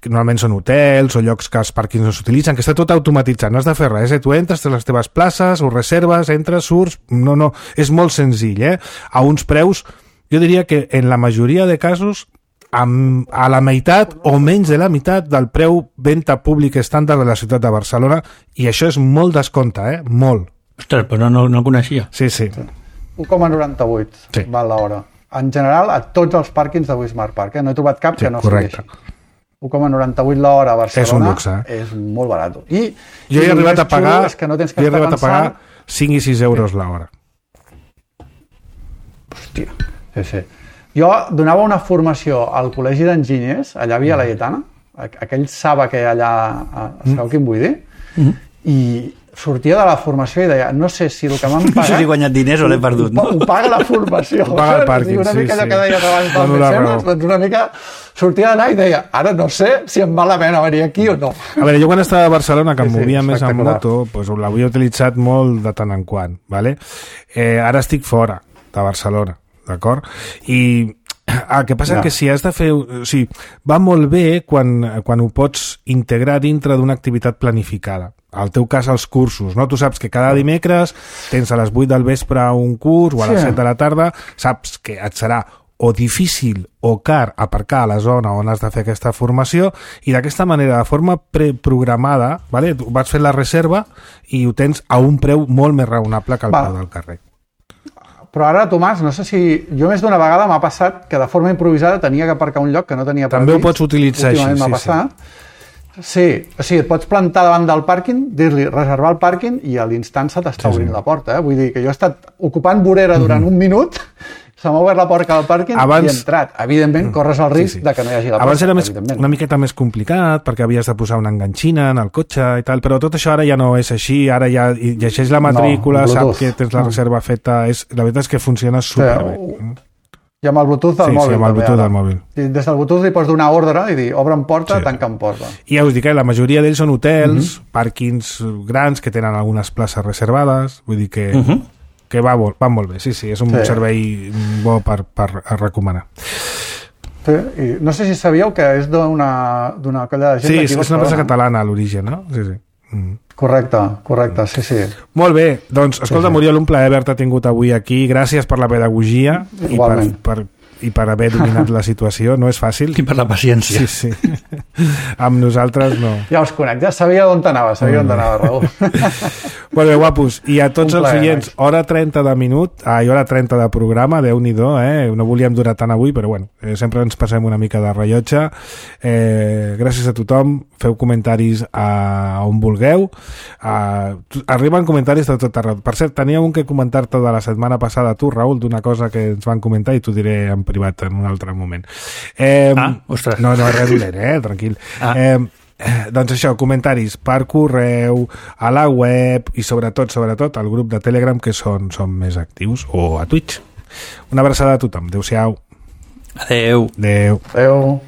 que normalment són hotels o llocs que els pàrquings no s'utilitzen, que està tot automatitzat, no has de fer res, eh? Tu entres, tens les teves places, ho reserves, entres, surts, no, no, és molt senzill, eh? A uns preus, jo diria que en la majoria de casos amb, a la meitat o menys de la meitat del preu venda públic estàndard de la ciutat de Barcelona, i això és molt descompte, eh? Molt. Ostres, però no, no el coneixia. Sí, sí. u coma noranta-vuit sí. val l'hora. En general, a tots els pàrquings de Wismar Park, eh? No he trobat cap sí, que no sigui així. u coma noranta-vuit l'hora a Barcelona és un luxe. És molt barat. I, jo he arribat a pagar, que no tens que he arribat pensant... a pagar cinc i sis euros l'hora. Hòstia, sí, sí. Jo donava una formació al Col·legi d'Enginyers, allà a Via Laietana, aquell Saba que hi ha allà, sabeu quin vull dir? Mm. I sortia de la formació i deia, no sé si el que m'han pagat... No sé si he guanyat diners o l'he perdut, no? Ho paga la formació. Ho paga el pàrquing, una sí, mica sí. allò que deies abans del Dono mecenes, doncs una mica sortia d'anar i deia, ara no sé si em val la pena venir aquí o no. A veure, jo quan estava a Barcelona, que em Sí, sí, movia més en espectacular. moto, doncs l'havia utilitzat molt de tant en quant, ¿vale? Eh, ara estic fora de Barcelona, d'acord? I el que passa Ja. que si has de fer... O sigui, va molt bé quan, quan ho pots integrar dintre d'una activitat planificada. Al teu cas, els cursos, no? Tu saps que cada dimecres tens a les vuit del vespre un curs o a les Sí. set de la tarda, saps que et serà o difícil o car aparcar a la zona on has de fer aquesta formació, i d'aquesta manera, de forma preprogramada, ¿vale? Tu vas fer la reserva i ho tens a un preu molt més raonable que el Va. preu del carrer. Però ara, Tomàs, no sé si... Jo més d'una vegada m'ha passat que de forma improvisada tenia que aparcar un lloc que no tenia previst. També ho pots utilitzar així, Últimament m'ha sí, passat. Sí, o sigui, et pots plantar davant del pàrquing, dir-li reservar el pàrquing i a l'instant se t'està Sí, obrint sí. la porta. Eh? Vull dir que jo he estat ocupant vorera durant un minut, se m'ha obert la porta del pàrquing Abans- i he entrat. Evidentment, corres el risc Sí, sí. de que no hi hagi la porta. Abans era més, evidentment. una miqueta més complicat perquè havies de posar una enganxina en el cotxe i tal, però tot això ara ja no és així, ara ja i llegeix la matrícula, No, sap Bluetooth. que tens la No. reserva feta, és, la veritat és que funciona superbé. Sí, I amb el Bluetooth del Sí, sí, mòbil. amb el també, Bluetooth ara. del mòbil. I des del Bluetooth li pots donar ordre i dir, obre'm porta, Sí. tanca'm porta. I ja us dic que la majoria d'ells són hotels, Mhm. pàrquings grans que tenen algunes places reservades, vull dir que, Uh -huh. que va, molt, va molt bé, sí, sí, és un Sí. servei bo per, per a recomanar. Sí, i no sé si sabíeu que és d'una d'una colla de gent Sí, d'aquí és, a és una empresa Barcelona. catalana a l'origen, no? Sí, sí. Mm. Correcte, correcte, sí, sí. Molt bé, doncs, escolta, Sí, sí. Muriel, un plaer haver-te tingut avui aquí. Gràcies per la pedagogia i per, Igualment. per, i per haver dominat la situació. No és fàcil. I per la paciència. Sí, sí. Amb nosaltres no. Ja us conec, ja sabia on anava, sabia on anava, Raül. Molt bé, guapos. I a tots Un els plaer, oients, Max. hora trenta de minut, ah, i hora trenta de programa, Déu-n'hi-do, eh? No volíem durar tant avui, però bueno, eh, sempre ens passem una mica de rellotge. Eh, gràcies a tothom, feu comentaris a on vulgueu. Uh, arriben comentaris de tot arreu. Per cert, tenia un que comentar-te de la setmana passada, tu, Raül, d'una cosa que ens van comentar i t'ho diré en privat en un altre moment. Eh, Ah, ostres. No, no és res dolent, eh? Tranquil. Ah. Eh, Eh, doncs això, comentaris per correu, a la web i sobretot, sobretot al grup de Telegram, que són, són més actius, o a Twitch. Una abraçada a tothom. Adéu-siau. Adeu. Adéu. Adéu.